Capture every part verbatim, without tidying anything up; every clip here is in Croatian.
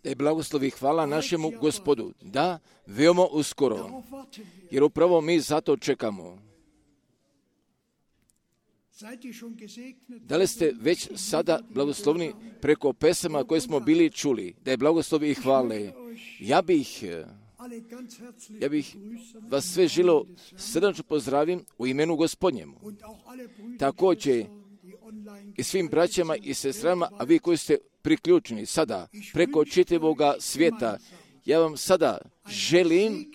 E blagoslovi hvala našemu Gospodu. Da, veoma uskoro. Jer upravo mi zato čekamo. Da li ste već sada blagoslovni preko pesama koje smo bili čuli? Da je blagoslovi i hvale. Ja bih, ja bih vas sve želio srdačno pozdravim u imenu Gospodnjemu. Također i svim braćama i sestrama, a vi koji ste priključeni sada preko čitavoga svijeta, ja vam sada želim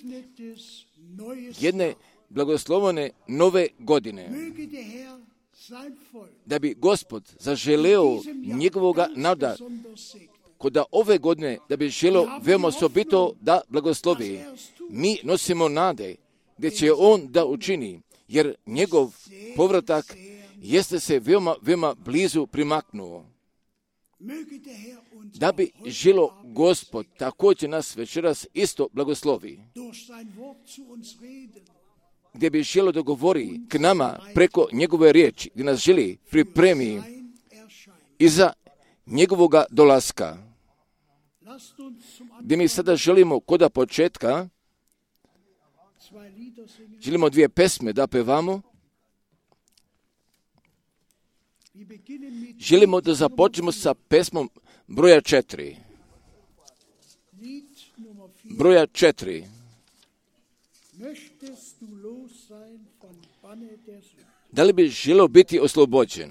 jedne blagoslovene nove godine. Da bi Gospod zaželeo njegovoga naroda kod da ove godine, da bi želeo veoma osobito da blagoslovi. Mi nosimo nade gdje će on da učini, jer njegov povratak jeste se veoma, veoma blizu primaknuo. Da bi želo Gospod također nas večeras isto blagoslovi. Gdje bi želo da govori k nama preko njegove riječi, gdje nas želi pripremi iza njegovoga dolaska. Gdje mi sada želimo koda početka, želimo dvije pesme da pevamo. Želimo da započnemo sa pesmom broja četiri. Broja četiri. Da li bi želio biti oslobođen?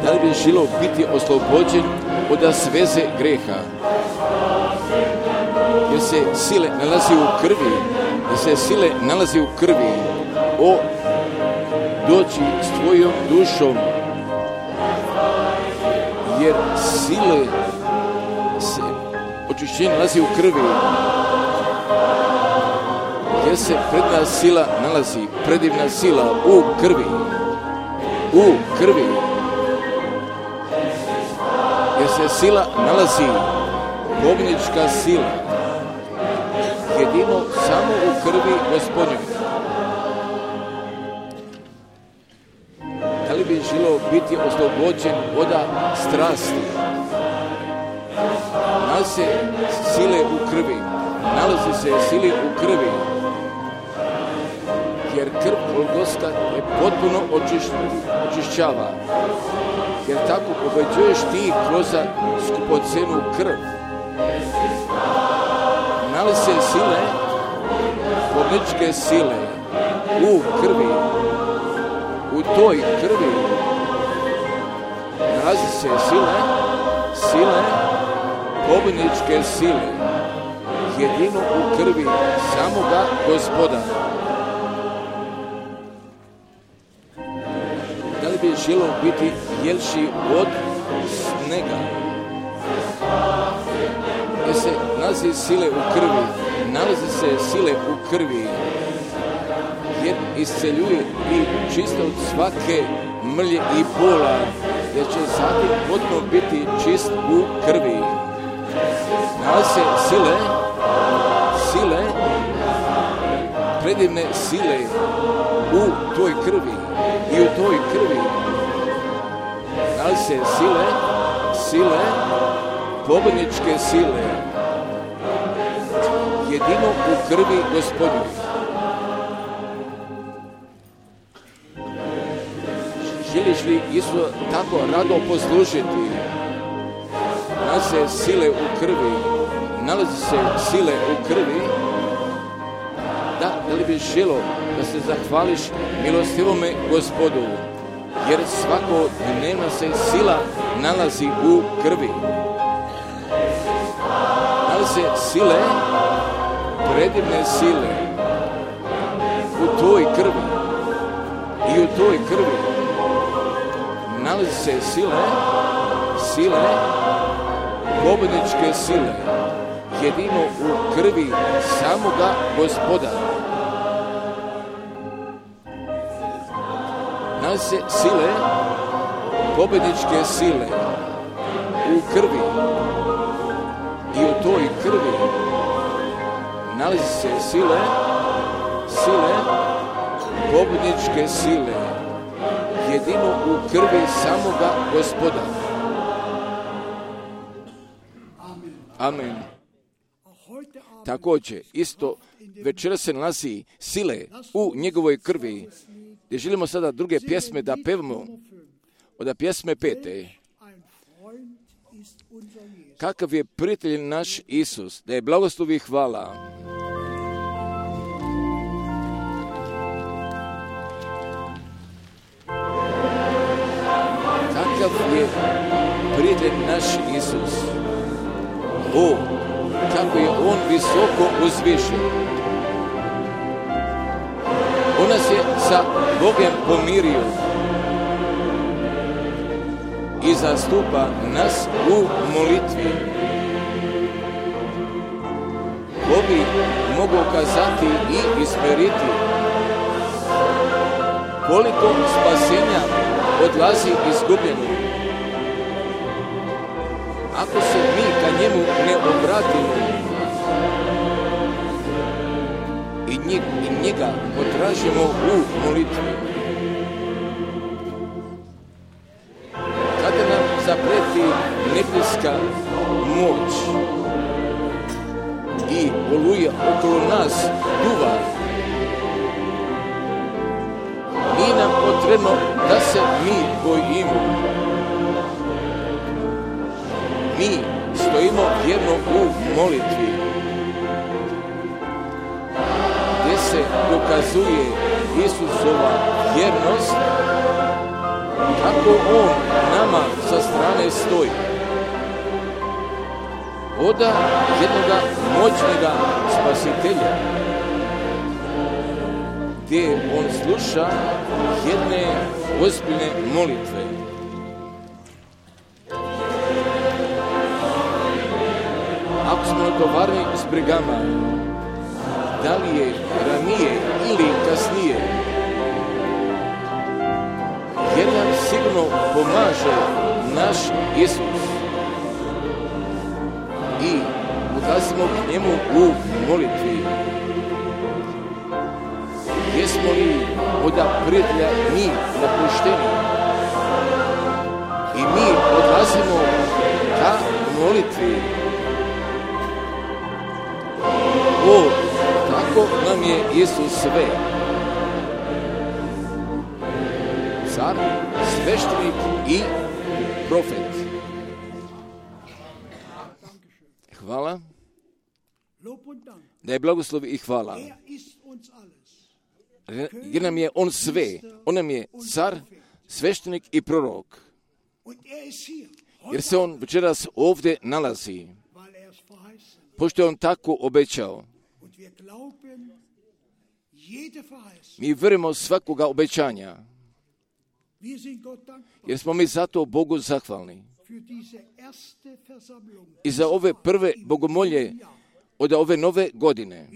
Da li bi želio biti oslobođen od sveze greha? Jer se sile nalazi u krvi, jer se sile nalazi u krvi. O, doći s tvojom dušom, jer sile se očišćenje nalazi u krvi, jer se predna sila nalazi, predivna sila u krvi, u krvi, jer se sila nalazi, pobjednička sila, jedino samo u krvi Gospodnjoj. Da li bi želio biti oslobođen od strasti? Nalazi se sile u krvi, nalazi se sile u krvi, jer krv Golgotska je potpuno očišćava, jer tako pobeđuješ ti kroz skupocenu krv. Nalazi se sile, pobjedničke sile u krvi, u toj krvi nalazi se sile, sile, pobjedničke sile, jedino u krvi samoga Gospoda. Da li bi želio biti jelši od snega? Jer se nalazi sile u krvi, nalazi se sile u krvi, jer isceljuje i čista od svake mrlje i bola, jer će zatim potpuno biti čist u krvi. Nalazi se sile, sile, predivne sile u toj krvi i u toj krvi. Nalazi se sile, sile, pobjedničke sile, jedino u krvi Gospodnjoj. Želiš li Isu tako rado poslužiti? Nalazi se sile u krvi, nalazi se sile u krvi. Da, da li bi želio da se zahvališ milostivome Gospodu, jer svakodnevno se sila nalazi u krvi. Nalazi se sile, predivne sile u toj krvi i u toj krvi. Nalazi se sile, sile, pobjedničke sile, jedino u krvi samoga Gospoda. Nalazi se sile, pobjedničke sile u krvi i u toj krvi. Nalazi se sile, sile, pobjedničke sile, jedino u krvi samoga Gospoda. Amen. Također, isto večera se nalazi sile u njegovoj krvi, gdje želimo sada druge pjesme da pevamo, od pjesme pete. Kakav je prijatelj naš Isus, da je blagoslov i hvala. Kakav je prijatelj naš Isus. O, kako je on visoko uzvišen. On nas je sa Bogom pomirio i zastupa nas u molitvi. Bogi mogu kazati i ismeriti koliko spasenja odlazi izgubljeno. Ako se mi ka njemu ne obratimo i njega, i njega potražimo u molitvi, kada nam zapreti nebeska moć i oluja okolo nas duva, nije nam potrebno da se mi bojimo. Mi stojimo vjerno u molitvi, gdje se dokazuje Isusova vjernost, kako on nama sa strane stoji. Oda jednoga moćnega spasitelja, gdje on sluša jedne ozbiljne molitve. Ako smo natovarni s brigama, da li je ranije ili kasnije, jer nam sigurno pomaže naš Isus i odlazimo k njemu u molitvi. Jesmo li od prijatelja mi napušteni i mi odlazimo ka molitvi. O, tako nam je Isus sve. Car, sveštenik i profet. Hvala. Da je blagoslov i hvala. Jer nam je on sve. On nam je car, sveštenik i prorok. Jer se on večeras ovdje nalazi. Pošto je on tako obećao. Mi vjerujemo svakoga obećanja. Jer smo mi zato Bogu zahvalni. I za ove prve bogomolje od ove nove godine.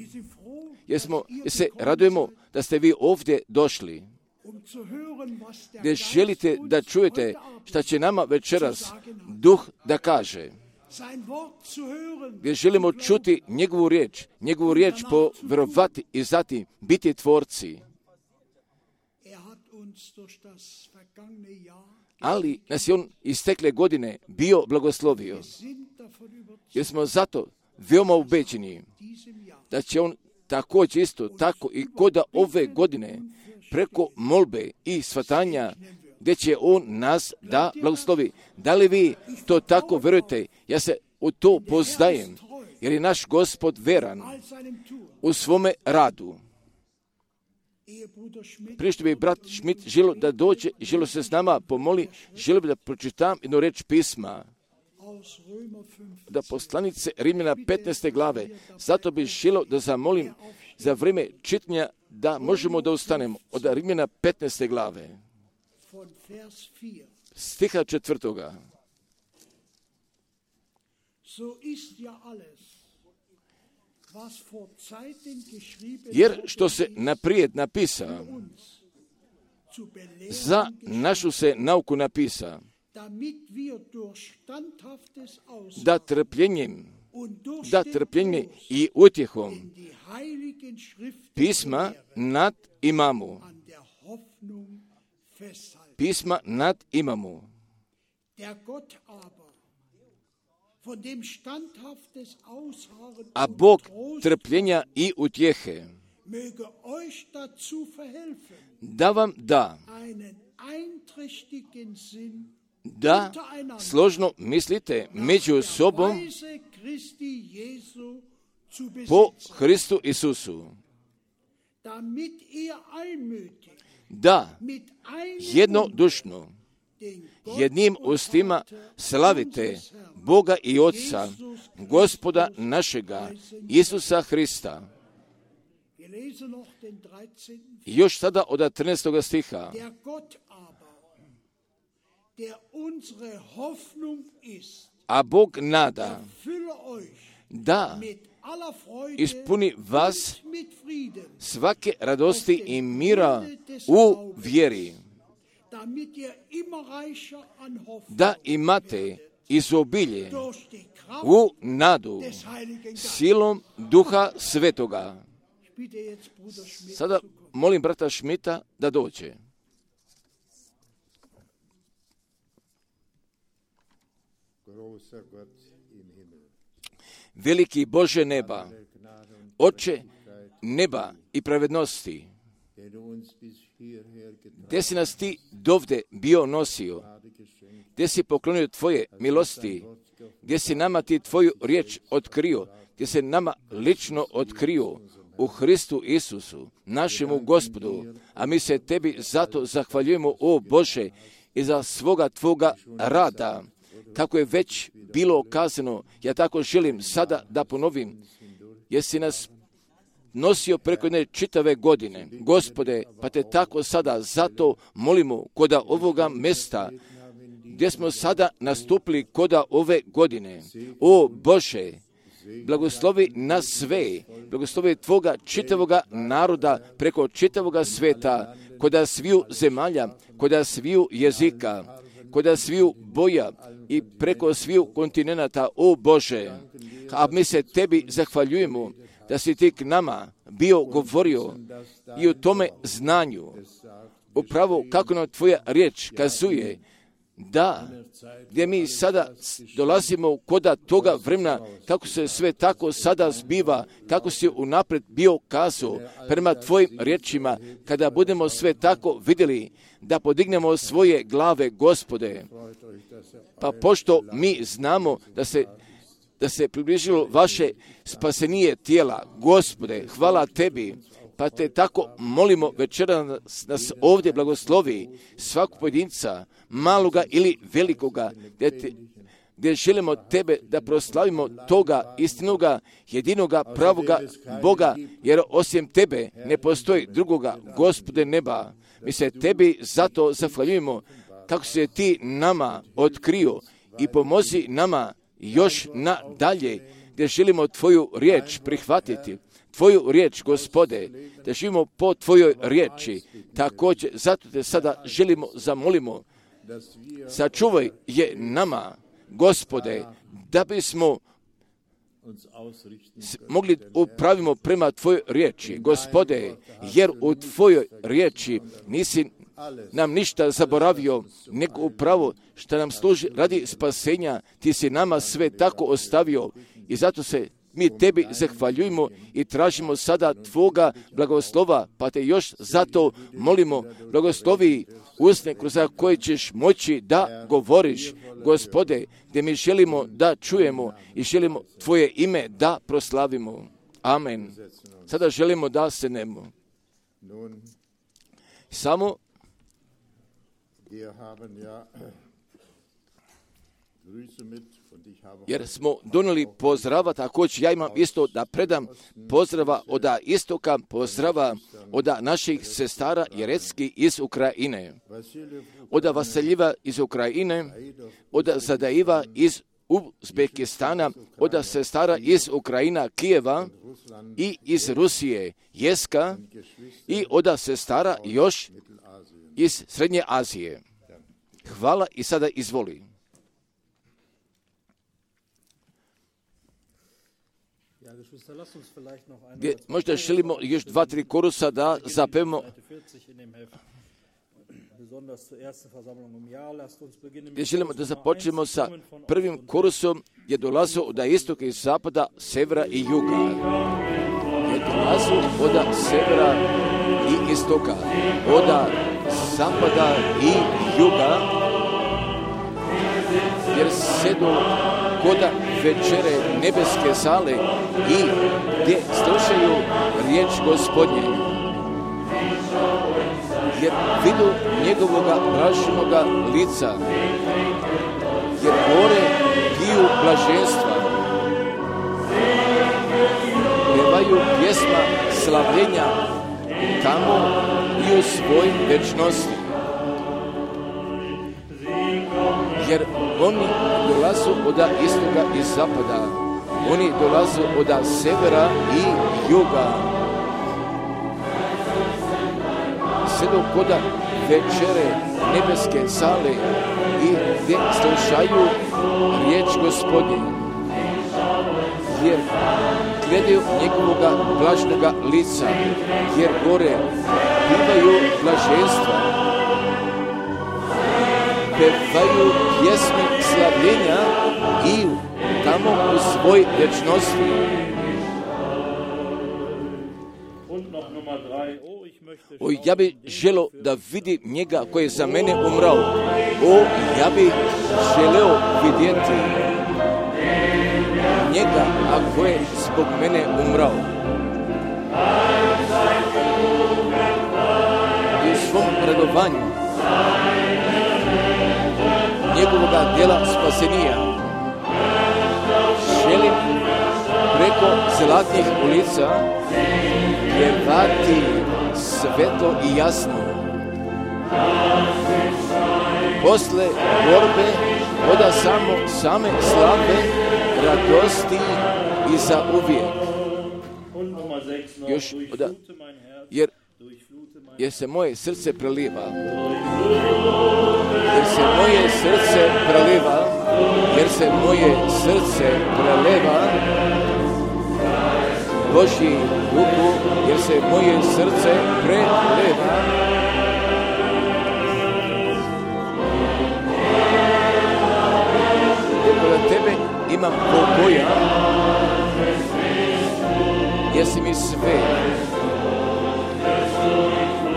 Jer, smo, jer se radujemo da ste vi ovdje došli. Gdje želite da čujete šta će nama večeras Duh da kaže. Gdje želimo čuti njegovu riječ, njegovu riječ povjerovati i zatim biti tvorci. Ali nas je on istekle godine bio blagoslovio. Jer smo zato veoma ubeđeni da će on također isto tako i koda ove godine preko molbe i shvatanja gdje će on nas da blagoslovi. Da li vi to tako vjerujete? Ja se u to pozdajem, jer je naš Gospod veran u svome radu. Prije što bi brat Schmidt želio da dođe i želio se s nama pomoli, želio bi da pročitam jednu reč pisma. Da poslanice Rimljana petnaeste glave. Zato bih želio da zamolim za vrijeme čitanja da možemo da ustanemo od Rimljana petnaeste glave. Stiha četvrtoga. Jer što se naprijed napisa, za našu se nauku napisa, da trpljenjem da trpljenje i utjehom pisma nad imamo. Pisma nad imamo. A Bog trpljenja i utjehe da vam da da složno mislite među sobom po Hristu Isusu, da jednodušno jednim ustima slavite Boga i Otca, Gospoda našega, Isusa Hrista. Još sada od trinaestog stiha. A Bog nada da ispuni vas svake radosti i mira u vjeri, da imate izobilje u nadu silom Duha Svetoga. Sada molim brata Šmita da dođe. Veliki Bože neba, Oče neba i pravednosti, gdje si nas ti dovde bio nosio, gdje si poklonio tvoje milosti, gdje si nama ti tvoju riječ otkrio, gdje se nama lično otkrio u Hristu Isusu, našemu Gospodu, a mi se tebi zato zahvaljujemo, o Bože, i za svoga tvoga rada, kako je već bilo kazano. Ja tako želim sada da ponovim, jer si nas nosio preko jedne čitave godine, Gospode, pa te tako sada zato molimo koda ovoga mesta, gdje smo sada nastupili koda ove godine. O Bože, blagoslovi nas sve, blagoslovi tvoga čitavoga naroda preko čitavoga sveta, koda sviju zemalja, koda sviju jezika, koda sviju boja i preko sviju kontinenata, o Bože. A mi se tebi zahvaljujemo da si ti k nama bio govorio i u tome znanju, upravo kako nam tvoja riječ kazuje, da, gdje mi sada dolazimo koda toga vremena, kako se sve tako sada zbiva, kako si unaprijed bio kazao prema tvojim riječima, kada budemo sve tako vidjeli, da podignemo svoje glave, Gospode. Pa pošto mi znamo da se da se približilo vaše spasenije tijela, Gospode, hvala tebi, pa te tako molimo večera nas, nas ovdje blagoslovi, svakog pojedinca, maloga ili velikoga, gdje, te, gdje želimo tebe da proslavimo toga istinoga, jedinoga, pravoga Boga, jer osim tebe ne postoji drugoga, Gospode neba. Mi se tebi zato zahvaljujemo kako se ti nama otkrio i pomozi nama još nadalje, gdje želimo tvoju riječ prihvatiti, tvoju riječ, Gospode, da živimo po tvojoj riječi. Također, zato te sada želimo, zamolimo, sačuvaj je nama, Gospode, da bismo mogli upravimo prema tvojoj riječi, Gospode, jer u tvojoj riječi nisi nam ništa zaboravio, nego upravo što nam služi radi spasenja, ti si nama sve tako ostavio i zato se mi tebi zahvaljujemo i tražimo sada tvoga blagoslova, pa te još zato molimo, blagoslovi usne kroz koje ćeš moći da govoriš, Gospode, gdje mi želimo da čujemo i želimo tvoje ime da proslavimo. Amen. Sada želimo da se nemo. Samo jer smo donijeli pozdrava, također ja imam isto da predam pozdrava od istoka, pozdrava od naših sestara Jerecki iz Ukrajine, od Vasiljiva iz Ukrajine, od Zadaiva iz Uzbekistana, od sestara iz Ukrajina, Kijeva i iz Rusije, Jeska, i od sestara još iz Srednje Azije. Hvala i sada izvoli. gdje možda želimo još dva, tri korusa da zapevamo. Gdje želimo da započnemo sa prvim korusom je dolazio od istoka i zapada, severa i juga. Je dolazio od severa i istoka, od zapada i juga, jer sedu kod večere nebeske sale i gdje slušaju riječ Gospodnje. Jer vidu njegovoga blaženoga lica, jer gore piju blaženstva, pevaju pjesma slavljenja tamo i u svoj večnosti. Jer oni dolazu od istoka i zapada, oni dolazu od severa i juga. Sedu kod večere nebeske sale i gdje slušaju riječ Gospodnje, jer gledaju njegovoga blažnoga lica, jer gore bivaju blaženstva, pevaju pjesme slavljenja i tamo u svoj večnosti. O, ja bi želio da vidi njega koji je za mene umrao. O, ja bi želeo vidjeti njega, a koji je zbog mene umrao. I u svom radovanju njegovoga djela spasenija želim preko zlatnih ulica pjevati svetlo i jasno. Posle borbe oda samo same slave radosti i za uvijek. Još oda, jer, jer se moje srce preliva. Jer se moje srce preliva. Jer se moje srce preliva. Božji duhu, jer se moje srce preliva. Jer kod tebe imam pokoja, jer si mi sve.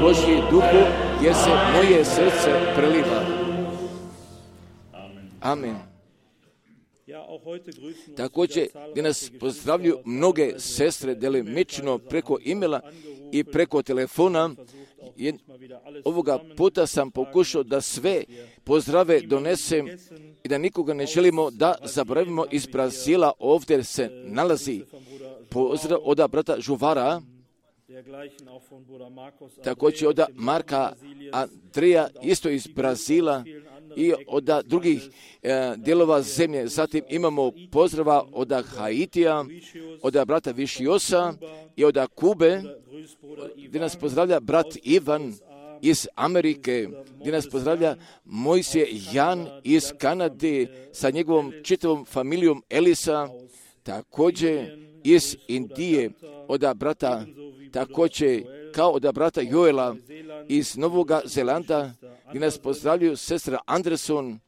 Božji duhu, jer se moje srce preliva. Amen. Također, gdje nas pozdravljaju mnoge sestre delimično preko imela i preko telefona. Ovoga puta sam pokušao da sve pozdrave donesem i da nikoga ne želimo da zaboravimo. Iz Brazila ovdje se nalazi pozdrav od brata Žuvara, također od Marka Andreja, isto iz Brazila, i od drugih e, dijelova zemlje. Zatim imamo pozdrava od Haitija, od brata Višiosa i od Kube, gdje nas pozdravlja brat Ivan iz Amerike, gdje nas pozdravlja Mojsije Jan iz Kanade sa njegovom čitavom familijom Elisa, također iz Indije od brata, također kao od brata Joela iz Novoga Zelanda, gdje nas pozdravljaju sestra Anderson.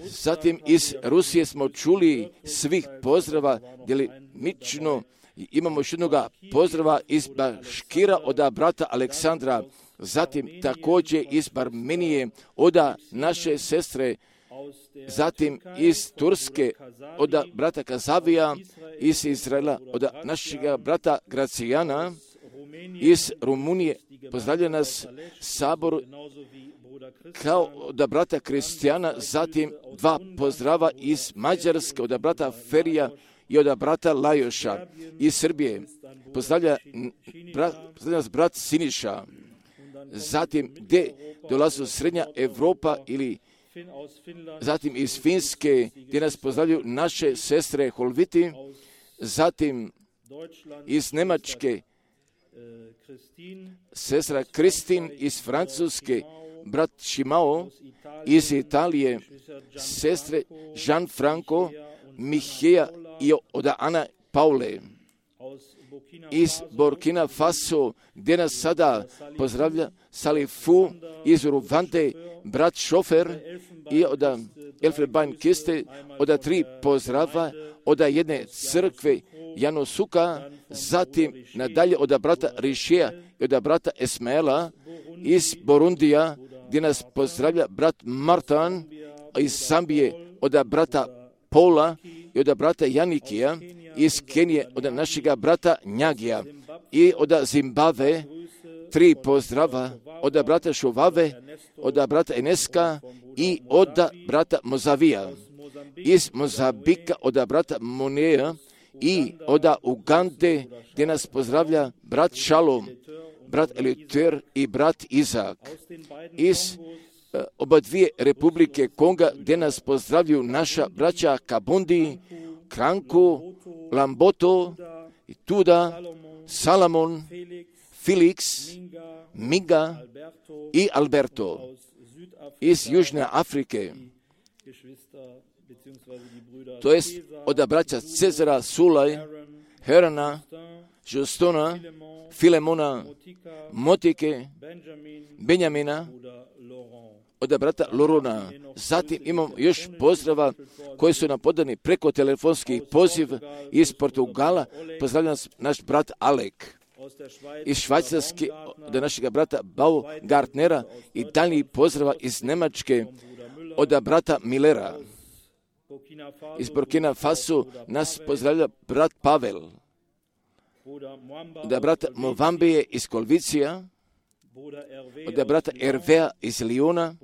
Zatim iz Rusije smo čuli svih pozdrava, djelimično imamo još jednoga pozdrava iz Baškira od brata Aleksandra, zatim također iz Armenije od naše sestre, zatim iz Turske od brata Kazavija, iz Izraela od našeg brata Gracijana, iz Rumunije pozdravlja nas sabor kao od brata Kristijana, zatim dva pozdrava iz Mađarske od brata Ferija i od brata Lajoša. Iz Srbije pozdravlja, brat, pozdravlja nas brat Siniša. Zatim gdje dolazi Srednja Evropa ili zatim iz Finske gdje nas pozdravljaju naše sestre Holviti, zatim iz Njemačke sestra Kristin, iz Francuske brat Šimao, iz Italije sestre Jean Franco, Miheja i od Ana Paule iz Burkina Faso, gdje nas sada pozdravlja Salifu iz Rwande, brat šofer i od Elfenbein Kiste, od tri pozdrava, od jedne crkve Janosuka, zatim nadalje od brata Rišija i od brata Esmaela iz Burundija, gdje nas pozdravlja brat Martan iz Zambije, od brata Paula i od brata Janikija iz Kenije, od našega brata Njagija i od Zimbabve, tri pozdrava od brata Šuvave, od brata Eneska i od brata Mozavija, iz Mozambika od brata Moneja i od Ugande, gdje nas pozdravlja brat Šalom, brat Eliter i brat Izak, iz oba dvije republike Konga, gdje nas pozdravljaju naša braća Kabundi, Kranku, Lamboto, Tuda, Salamon, Felix, Minga i Alberto iz Južne Afrike, to jest od braća Cezara, Sulaj, Herana, Justona, Filemona, Motike, Benjamina, od brata Lorona. Zatim imamo još pozdrava koji su nam podani preko telefonskih poziv iz Portugala. Pozdravljam naš brat Alek iz Švajcarske, od našega brata Baugartnera i daljnji pozdrava iz Nemačke od brata Millera. Iz Burkina Faso nas pozdravlja brat Pavel, od brata Movambije iz Kolvicija, od brata Ervea iz Liona,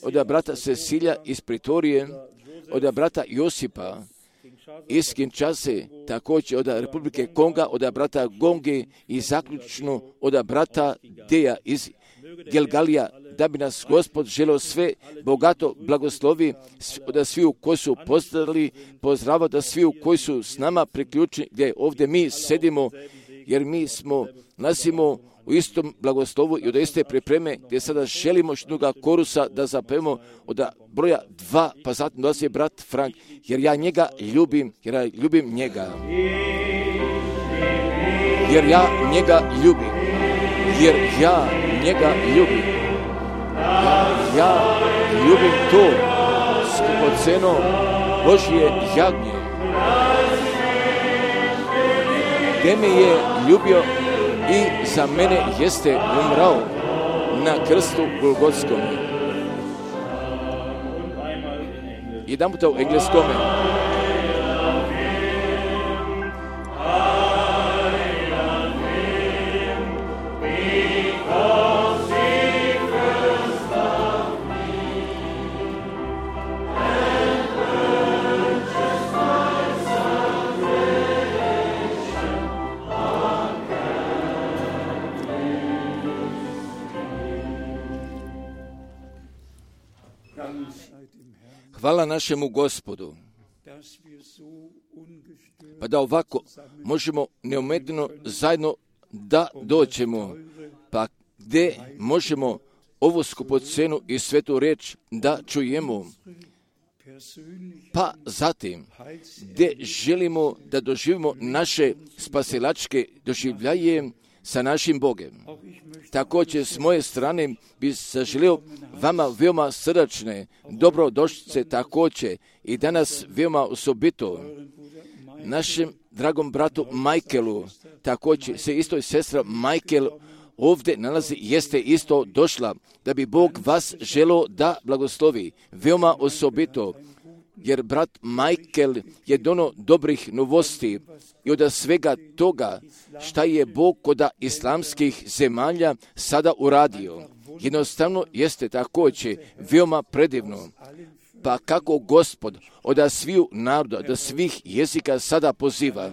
od brata Cecilija iz Pritorije, od brata Josipa iz Kinshase, također od Republike Konga, od brata Gonge i zaključno od brata Deja iz Gelgalija, da bi nas Gospod želeo sve bogato blagoslovi, da svi koji su pozdravili, pozdrava da svi koji su s nama priključeni, gdje ovdje mi sedimo, jer mi smo, nasimo u istom blagoslovu i od iste pripreme, gdje sada želimo štuga korusa da zapevamo od broja dva, pa zatim dolazi brat Frank, jer ja njega ljubim, jer ja ljubim njega. Jer ja njega ljubim. Jer ja njega ljubim. Ja, ja ljubim to skupoceno Božje jagnje. Gdje me je ljubio i za mene jeste umrao na krstu Golgotskom. Jedan puta u engleskome. Hvala našemu Gospodu, pa da ovako možemo neometno zajedno da dođemo, pa gdje možemo ovu skupocenu i svetu riječ da čujemo, pa zatim gdje želimo da doživimo naše spasilačke doživljaje sa našim Bogem. Također s moje strane bi zaželio vama veoma srdačne dobrodošlice također i danas veoma osobito našem dragom bratu Michaelu, također se isto i sestra Michael ovdje nalazi, jeste isto došla da bi Bog vas želio da blagoslovi veoma osobito, jer brat Michael je dono dobrih novosti i od svega toga šta je Bog kod islamskih zemalja sada uradio. Jednostavno jeste također veoma predivno. Pa kako Gospod od sviju naroda, od svih jezika sada poziva.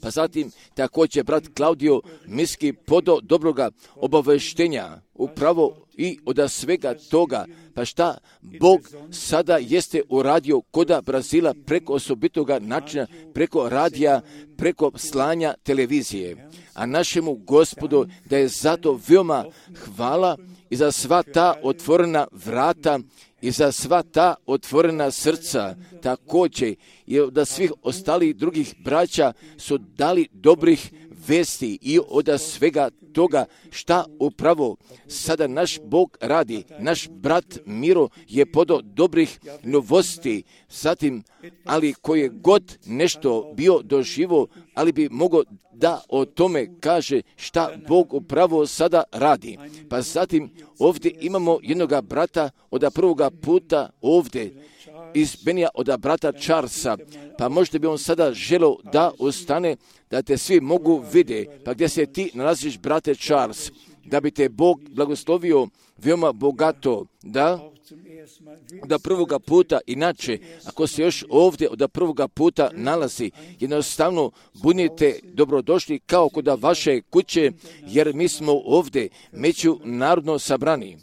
Pa zatim također brat Klaudio miski podo dobroga obaveštenja upravo i od svega toga, pa šta Bog sada jeste uradio koda Brazila preko osobitoga načina, preko radija, preko slanja televizije. A našemu Gospodu da je zato veoma hvala i za sva ta otvorena vrata i za sva ta otvorena srca također i od svih ostalih drugih braća su dali dobrih vesti i od svega toga šta upravo sada naš Bog radi. Naš brat Miro je podao dobrih novosti, zatim, ali koje god nešto bio doživo, ali bi mogao da o tome kaže šta Bog upravo sada radi. Pa zatim ovdje imamo jednoga brata od prvoga puta ovdje, iz Benija od brata Charlesa, pa možda bi on sada želio da ostane, da te svi mogu vide. Pa gdje se ti nalaziš, brate Charles, da bi te Bog blagoslovio veoma bogato, da od prvoga puta, inače, ako se još ovdje od prvoga puta nalazi, jednostavno budite dobrodošli kao kod vaše kuće, jer mi smo ovdje međunarodno sabrani.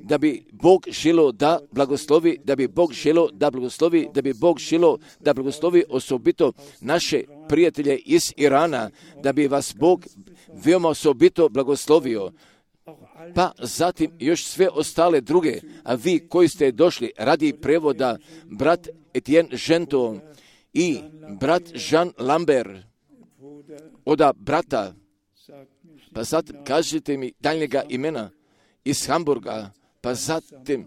Da bi Bog želio da blagoslovi, da bi Bog želio da blagoslovi, da bi Bog želio da blagoslovi osobito naše prijatelje iz Irana, da bi vas Bog veoma osobito blagoslovio. Pa zatim još sve ostale druge, a vi koji ste došli radi prevoda, brat Etienne Genton i brat Jean Lambert, oda brata, pa zatim kažete mi daljnjega imena iz Hamburga, pa zatim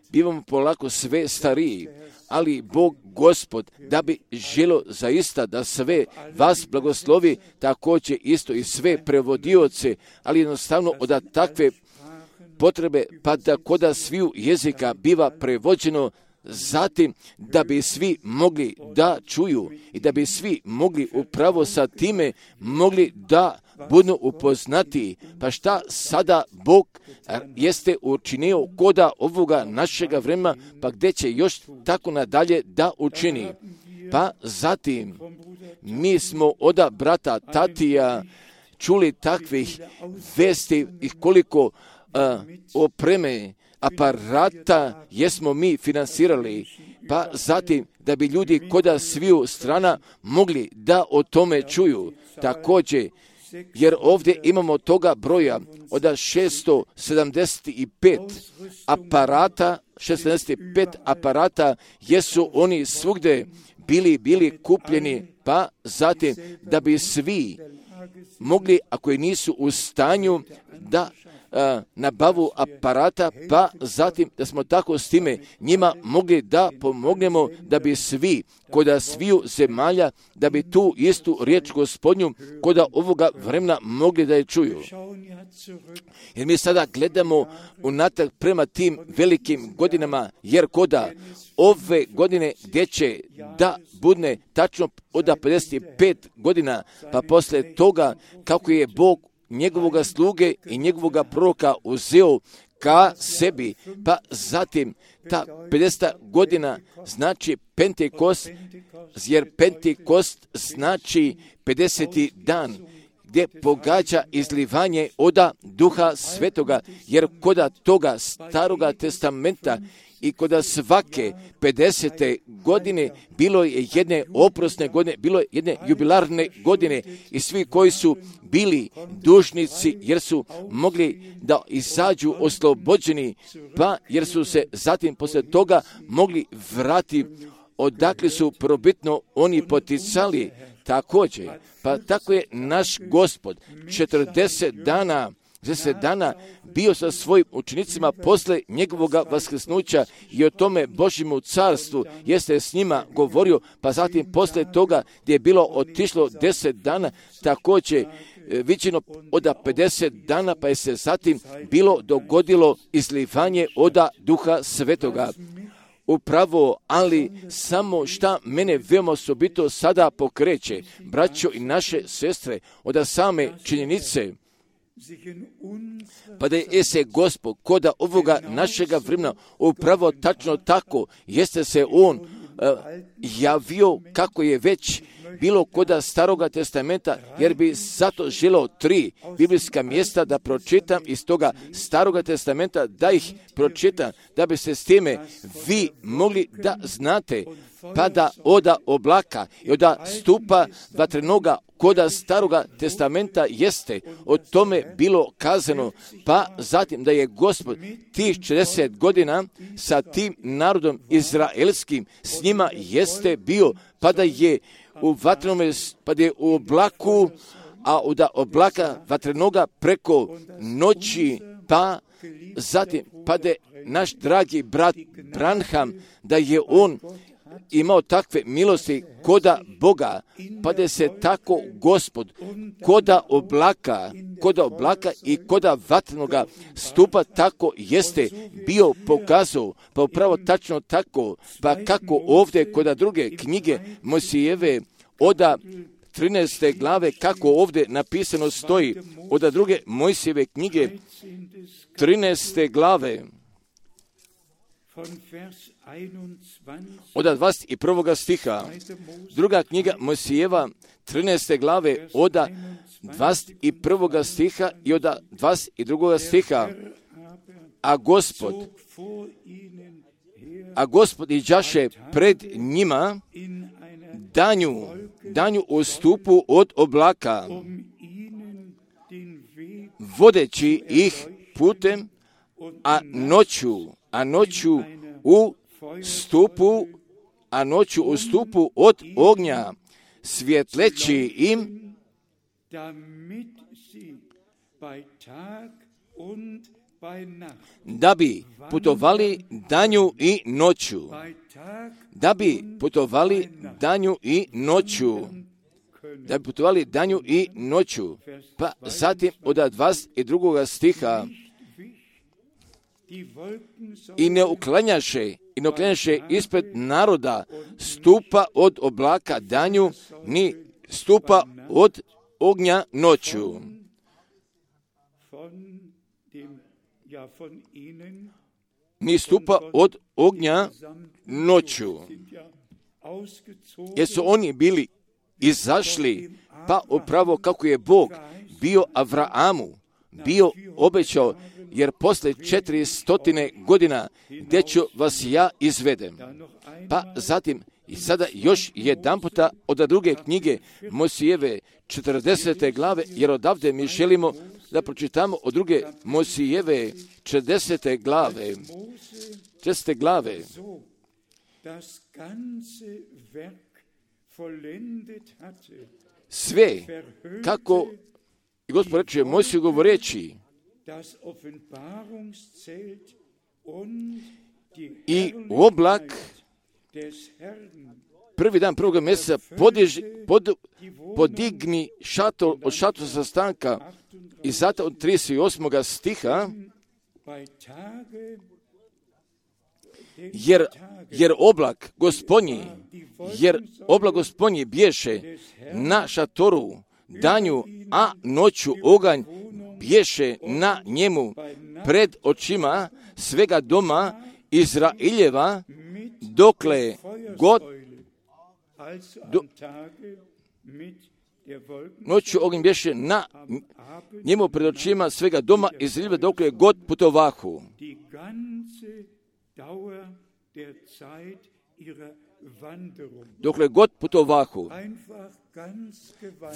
bivamo polako sve stariji, ali Bog Gospod da bi želio zaista da sve vas blagoslovi, također isto i sve prevodioce, ali jednostavno od takve potrebe pa da koda sviju jezika biva prevođeno, zatim da bi svi mogli da čuju i da bi svi mogli upravo sa time mogli da budu upoznati. Pa šta sada Bog jeste učinio koda ovoga našega vremena, pa gdje će još tako nadalje da učini. Pa zatim mi smo od brata Tatija čuli takvih vesti i koliko uh, opreme, aparata jesmo mi finansirali, pa zatim da bi ljudi koda sviju strana mogli da o tome čuju. Također, jer ovdje imamo toga broja od šesto sedamdeset pet aparata, šesto sedamdeset pet aparata, jesu oni svugdje bili, bili kupljeni, pa zatim da bi svi mogli, ako i nisu u stanju, da a, nabavu aparata, pa zatim da smo tako s time njima mogli da pomognemo, da bi svi, koda sviju zemalja, da bi tu istu riječ Gospodnju, koda ovoga vremena mogli da je čuju. Jer mi sada gledamo unatrag prema tim velikim godinama, jer koda ove godine gdje će da budne tačno od pedeset pet godina, pa poslije toga kako je Bog njegovoga sluge i njegovoga proroka uzeo ka sebi, pa zatim ta pedeset godina znači Pentekost, jer Pentekost znači pedeseti dan, gdje pogađa izlivanje oda Duha Svetoga, jer koda toga Staroga testamenta i koda svake pedesete godine bilo je jedne oprosne godine, bilo je jedne jubilarne godine i svi koji su bili dužnici jer su mogli da izađu oslobođeni, pa jer su se zatim poslije toga mogli vratiti odakle su probitno oni poticali također. Pa tako je naš Gospod četrdeset dana deset dana bio sa svojim učenicima posle njegovoga vaskrsnuća i o tome Božjemu carstvu jeste s njima govorio, pa zatim posle toga gdje je bilo otišlo deset dana, također viđeno od pedeset dana, pa je se zatim bilo dogodilo izlivanje oda Duha Svetoga. Upravo, ali samo šta mene veoma osobito sada pokreće, braćo i naše sestre, od same činjenice, pa da je se Gospod koda ovoga našega vremena upravo tačno tako, jeste se On uh, javio kako je već bilo koda Staroga testamenta, jer bi zato želeo tri biblijska mjesta da pročitam iz toga Staroga testamenta, da ih pročitam, da bi se s time vi mogli da znate, pa da oda oblaka i oda stupa vatrenoga koda staroga testamenta jeste o tome bilo kazano, pa zatim da je Gospod tih četrdeset godina sa tim narodom izraelskim s njima jeste bio, pa da je u vatrenome, pa da je u oblaku, a od oblaka vatrenoga preko noći, pa zatim pa da je naš dragi brat Branham, da je on imao takve milosti koda Boga, pa da se tako Gospod koda oblaka, koda oblaka i koda vatrenoga stupa tako jeste bio pokazao, pa upravo tačno tako, pa kako ovdje koda druge knjige Mojsijeve oda trinaeste glave, kako ovdje napisano stoji, oda druge Mojsijeve knjige trinaeste glave, od dvadeset prvog stiha, druga knjiga Mojsijeva, trinaeste glave, od dvadeset prvog stiha i od dvadeset drugog stiha. A Gospod, a Gospod iđaše pred njima danju, danju u stupu od oblaka, vodeći ih putem, a noću, a noću u stupu, a noću u stupu od ognja, svjetleći im, da bi putovali danju i noću, da bi putovali danju i noću, da bi putovali danju i noću. Pa zatim od dvadeset drugog stiha, i ne uklanjaše, i ne uklanjaše ispred naroda stupa od oblaka danju, ni stupa od ognja noću. Ni stupa od ognja noću. Jer su oni bili izašli, pa upravo kako je Bog bio Avraamu, bio obećao, jer posle četiristotina godina gdje ću vas ja izvedem. Pa zatim i sada još jedan puta od druge knjige Mojsijeve četrdesete glave, jer odavde mi želimo da pročitamo od druge Mojsijeve četrdesete glave. četrdesete glave. Sve, kako i Gospod reče Mojsiju govoreći, i oblak prvi dan prvog mjeseca podiži, pod, podigni šator od šatora sastanka, i zato od trideset osmog stiha, jer, jer oblak gospodnji, jer oblak gospodnji bješe na šatoru danju, a noću oganj bješe na njemu pred očima svega doma Izraeljeva, dokle god do, noću oganj bješe na njemu pred očima svega doma Izraeljeva, dokle god putovahu. Dokle god putovahu.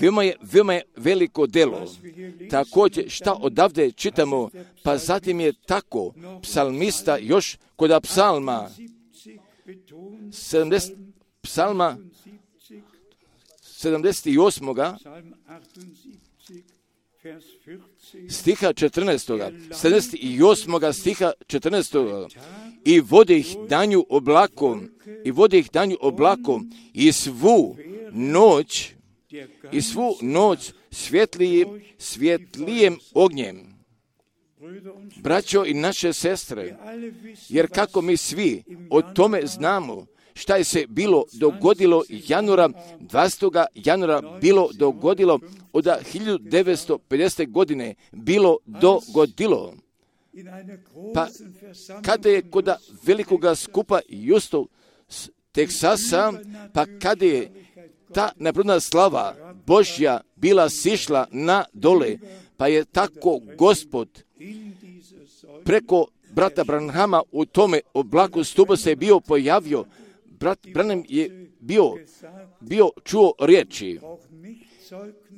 Veoma je, veoma je veliko delo. Također šta odavde čitamo, pa zatim je tako psalmista još kod psalma sedamdeset, psalma sedamdeset osam stiha četrnaestog. sedamdeset osam stiha četrnaestog. I vode ih danju oblakom, i vode ih danju oblakom, i svu noć, i svu noć svjetlijim, svjetlijem ognjem. Braćo i naše sestre, jer kako mi svi o tome znamo, šta je se bilo dogodilo januara, dvadesetog januara bilo dogodilo, od hiljadu devetsto pedesete. godine bilo dogodilo. Pa kada je kod velikoga skupa Justo Teksasa, pa kada je ta neprirodna slava Božja bila sišla na dole, pa je tako Gospod preko brata Branhama u tome oblaku stupa se bio pojavio. Brat Branham je bio, bio čuo riječi.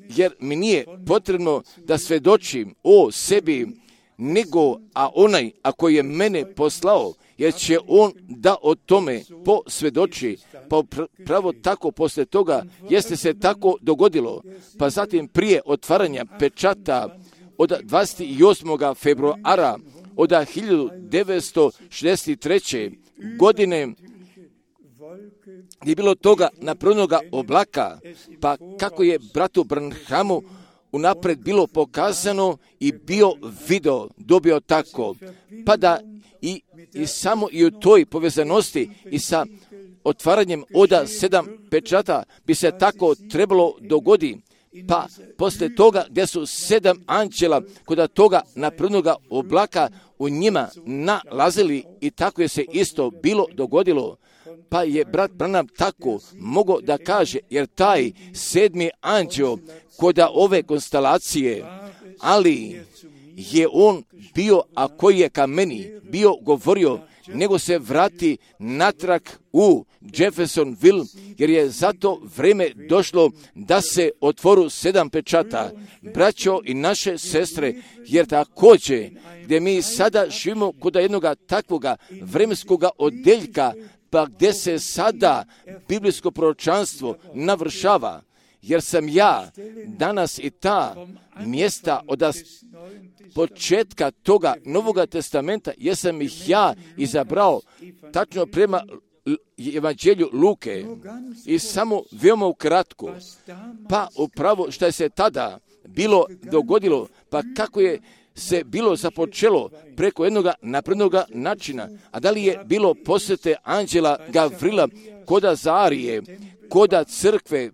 jer mi nije potrebno da svedočim o sebi, nego a onaj ako je mene poslao, jer će on da o tome posvjedoči. Pa pravo tako poslije toga jeste se tako dogodilo. Pa zatim prije otvaranja pečata od dvadeset osmog februara od hiljadu devetsto šezdeset treće godine je bilo toga napravljenoga oblaka, pa kako je bratu Branhamu unaprijed bilo pokazano i bio video, dobio tako, pa da i, i samo i u toj povezanosti i sa otvaranjem oda sedam pečata bi se tako trebalo dogodi. Pa poslije toga gdje su sedam anđela kod toga napravljenoga oblaka u njima nalazili i tako je se isto bilo dogodilo. Pa je brat Branham tako mogao da kaže, jer taj sedmi anđeo kod ove konstelacije, ali je on bio, a koji je ka meni bio govorio, nego se vrati natrag u Jeffersonville, jer je zato vrijeme došlo da se otvoru sedam pečata. Braćo i naše sestre, jer također gdje mi sada živimo kod jednoga takvoga vremenskoga odeljka, pa gdje se sada biblijsko proročanstvo navršava, jer sam ja danas i ta mjesta od početka toga Novoga testamenta, jesam ih ja izabrao tačno prema evanđelju Luke i samo veoma ukratko, pa upravo što je se tada bilo dogodilo, pa kako je se bilo započelo preko jednog naprednog načina, a da li je bilo posjete anđela Gavrila koda Zarije, koda crkve,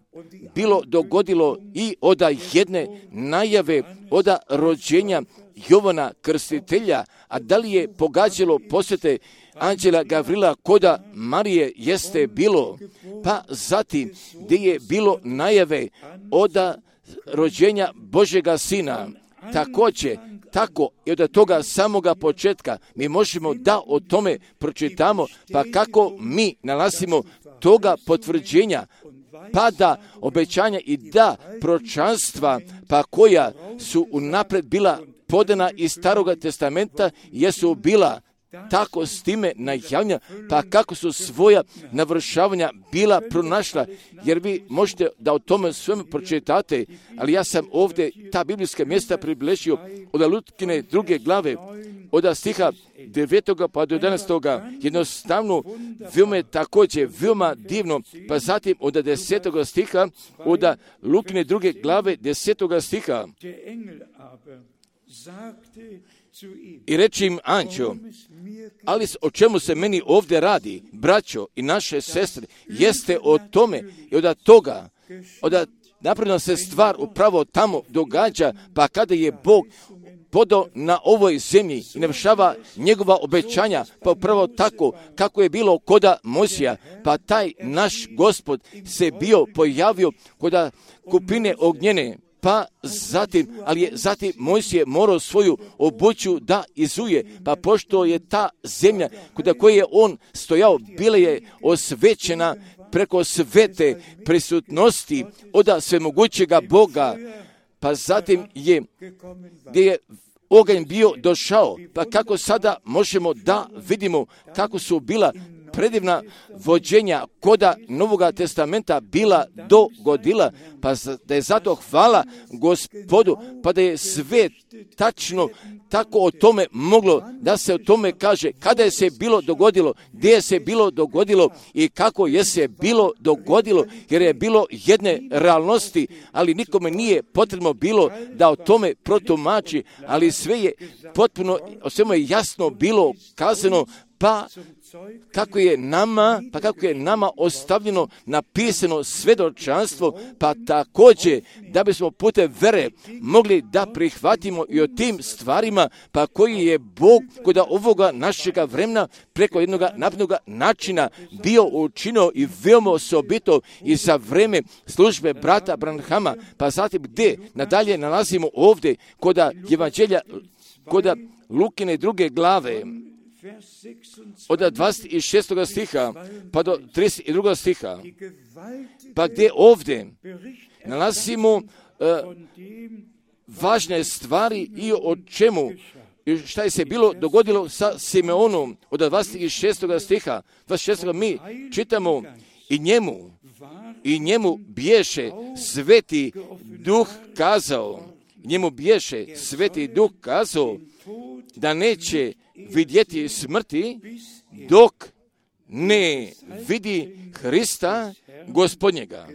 bilo dogodilo i oda jedne najave oda rođenja Jovana Krstitelja, a da li je pogađalo posjete anđela Gavrila koda Marije, jeste bilo, pa zatim gdje je bilo najave oda rođenja Božjega Sina. Također, tako i od toga samoga početka mi možemo da o tome pročitamo, pa kako mi nalazimo toga potvrđenja, pa da obećanja i da proročanstva, pa koja su unaprijed bila podana iz Staroga testamenta, jesu bila tako s time najavljena, pa kako su svoja navršavanja bila pronašla, jer vi možete da o tome svemu pročitate, ali ja sam ovdje ta biblijska mjesta približio od Lutkine druge glave, od stiha devetoga pa do jedanaestoga, jednostavno veoma je također veoma divno, pa zatim od desetoga stiha, od Lukine druge glave desetoga stiha. I reći im anđeo, ali o čemu se meni ovdje radi, braćo i naše sestre, jeste o tome i od toga, od napravljena se stvar upravo tamo događa, pa kada je Bog podao na ovoj zemlji i navršava njegova obećanja, pa upravo tako kako je bilo koda Mojsija, pa taj naš Gospod se bio pojavio koda kupine ognjene, pa zatim, ali je zatim Mojsije morao svoju obuću da izuje, pa pošto je ta zemlja kod koje je on stojao, bila je osvećena preko svete prisutnosti od svemogućega Boga, pa zatim je, gdje je oganj bio došao, pa kako sada možemo da vidimo kako su bila predivna vođenja koda Novoga testamenta bila dogodila, pa da je zato hvala Gospodu, pa da je sve tačno tako o tome moglo da se o tome kaže kada je se bilo dogodilo, gdje je se bilo dogodilo i kako je se bilo dogodilo, jer je bilo jedne realnosti, ali nikome nije potrebno bilo da o tome protumači, ali sve je potpuno, o svemu je jasno bilo kazano, pa kako je nama, pa kako je nama ostavljeno napisano svjedočanstvo, pa također da bismo putem vere mogli da prihvatimo i o tim stvarima, pa koji je Bog kod ovoga našega vremena preko jednog naprednog načina bio učinio i veoma osobito i za vreme službe brata Branhama, pa zatim gdje nadalje nalazimo ovdje kod evanđelja, kod Lukine druge glave, od dvadeset šestog stiha pa do trideset drugog stiha, pa gdje ovdje nalazimo uh, važne stvari i o čemu, šta je se bilo dogodilo sa Simeonom od dvadeset šestog stiha. dvadeset šestog mi čitamo i njemu, i njemu biješe sveti duh kazao, njemu biješe sveti duh kazao da neće vidjeti smrti dok ne vidi Hrista Gospodnjega.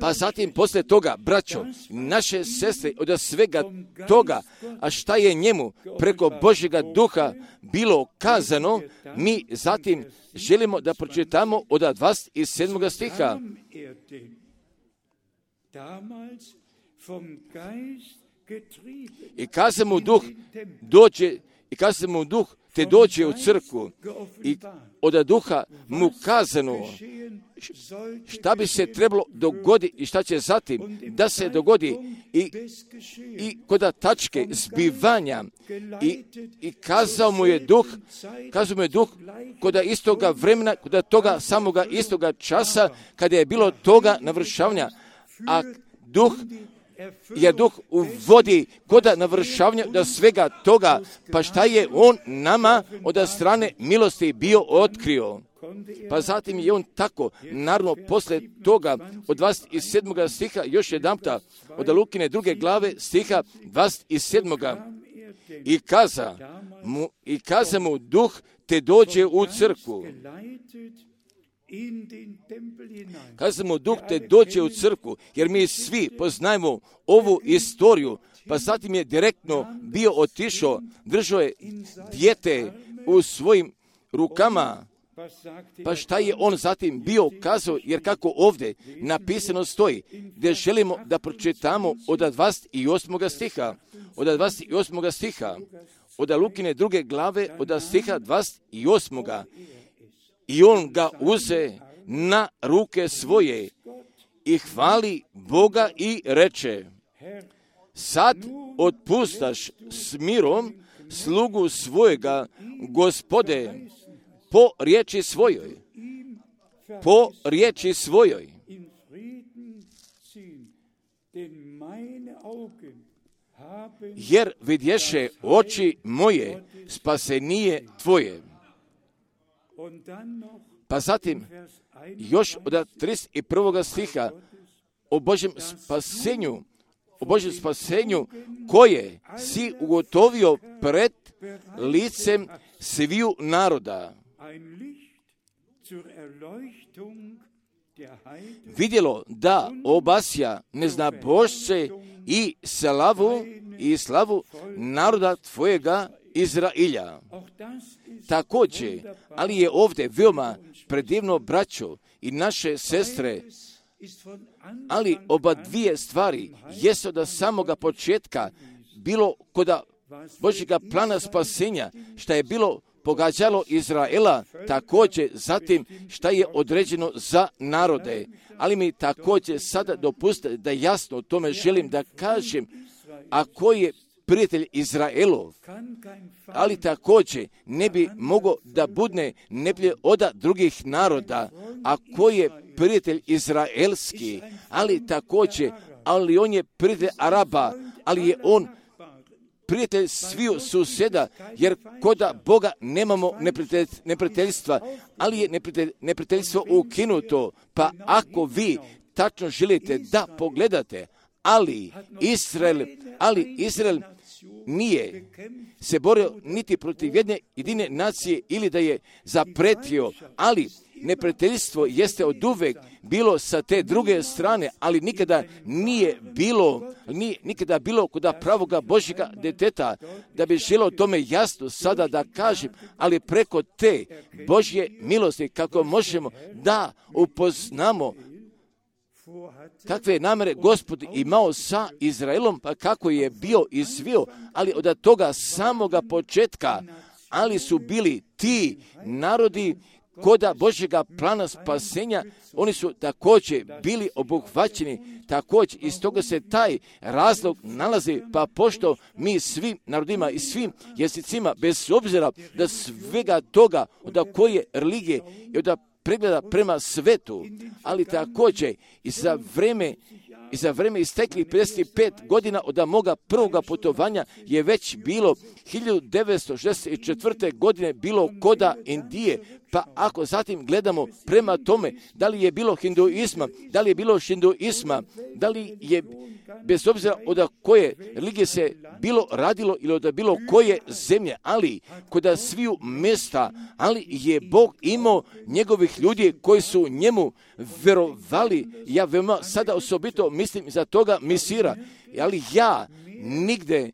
Pa zatim poslije toga, braćo, naše sestre, od svega toga, a šta je njemu preko Božjega duha bilo kazano, mi zatim želimo da pročitamo od dvadeset sedmog stiha. I kaza mu duh dođe, i kaza mu duh te dođe u crkvu i od duha mu kazano šta bi se trebalo dogoditi i šta će zatim da se dogodi i, i kod tačke zbivanja i, i kazao mu je duh, kazao mu je duh kod istoga vremena, kod toga samoga istoga časa kada je bilo toga navršavanja, a duh jer duh uvodi kod navršavanja do svega toga, pa šta je on nama od strane milosti bio otkrio. Pa zatim je on tako, naravno, poslije toga, od dvadeset sedmog stiha, još jedanputa, od Lukine druge glave, stiha dvadeset sedmog I kaza mu, i kaza mu duh te dođe u crkvu. Kaza mu duh te dođe u crkvu, jer mi svi poznajemo ovu istoriju, pa zatim je direktno bio otišao, držao je dijete u svojim rukama. Pa šta je on zatim bio kazao, jer kako ovdje napisano stoji, gdje želimo da pročitamo od dvadeset osmog stiha, od dvadeset osmog stiha, od Lukine druge glave, od stiha dvadeset osmog I on ga uze na ruke svoje i hvali Boga i reče, sad otpustaš s mirom slugu svojega, Gospode, po riječi svojoj, po riječi svojoj. Jer vidješe oči moje spasenije tvoje. Pa zatim, još od trideset prvog stiha, o Božjem spasenju, o Božjem spasenju koje si ugotovio pred licem sviju naroda. Vidjelo da obasja neznabošce i slavu i slavu naroda tvojega Izrailja. Također, ali je ovdje veoma predivno, braćo i naše sestre, ali oba dvije stvari jesu da samoga početka bilo kod Božjega plana spasenja, što je bilo pogađalo Izraela, također zatim šta je određeno za narode. Ali mi također sada dopustite da jasno o tome želim da kažem, a koji je prijatelj Izraelov, ali također ne bi mogao da budne neplje od drugih naroda, a koji je prijatelj izraelski, ali također, ali on je prijatelj Araba, ali je on prijatelj sviju susjeda, jer kod Boga nemamo neprijateljstva, ali je neprijateljstvo ukinuto. Pa ako vi tačno želite da pogledate, ali Izrael, ali Izrael nije se borio niti protiv jedne jedine nacije ili da je zapretio, ali neprijateljstvo jeste oduvek bilo sa te druge strane, ali nikada nije bilo, nije, nikada bilo kod pravoga Božjega deteta, da bi želio tome jasno sada da kažem, ali preko te Božje milosti kako možemo da upoznamo kakve je namere Gospod imao sa Izraelom, pa kako je bio izvio, ali od toga samoga početka, ali su bili ti narodi koda Božjega plana spasenja, oni su također bili obuhvaćeni, također iz toga se taj razlog nalazi, pa pošto mi svim narodima i svim jezicima, bez obzira da svega toga, od koje religije i od pregleda prema svetu, ali također i za vreme I za vreme isteklih pedeset pet godina od moga prvoga putovanja je već bilo hiljadu devetsto šezdeset četvrte. godine bilo koda Indije. Pa ako zatim gledamo prema tome da li je bilo hinduizma, da li je bilo šinduizma, da li je bez obzira od koje religije se bilo radilo ili od bilo koje zemlje, ali kod sviju mjesta, ali je Bog imao njegovih ljudi koji su njemu verovali. Ja veoma sada osobito mislim za toga misira, ali ja nigde,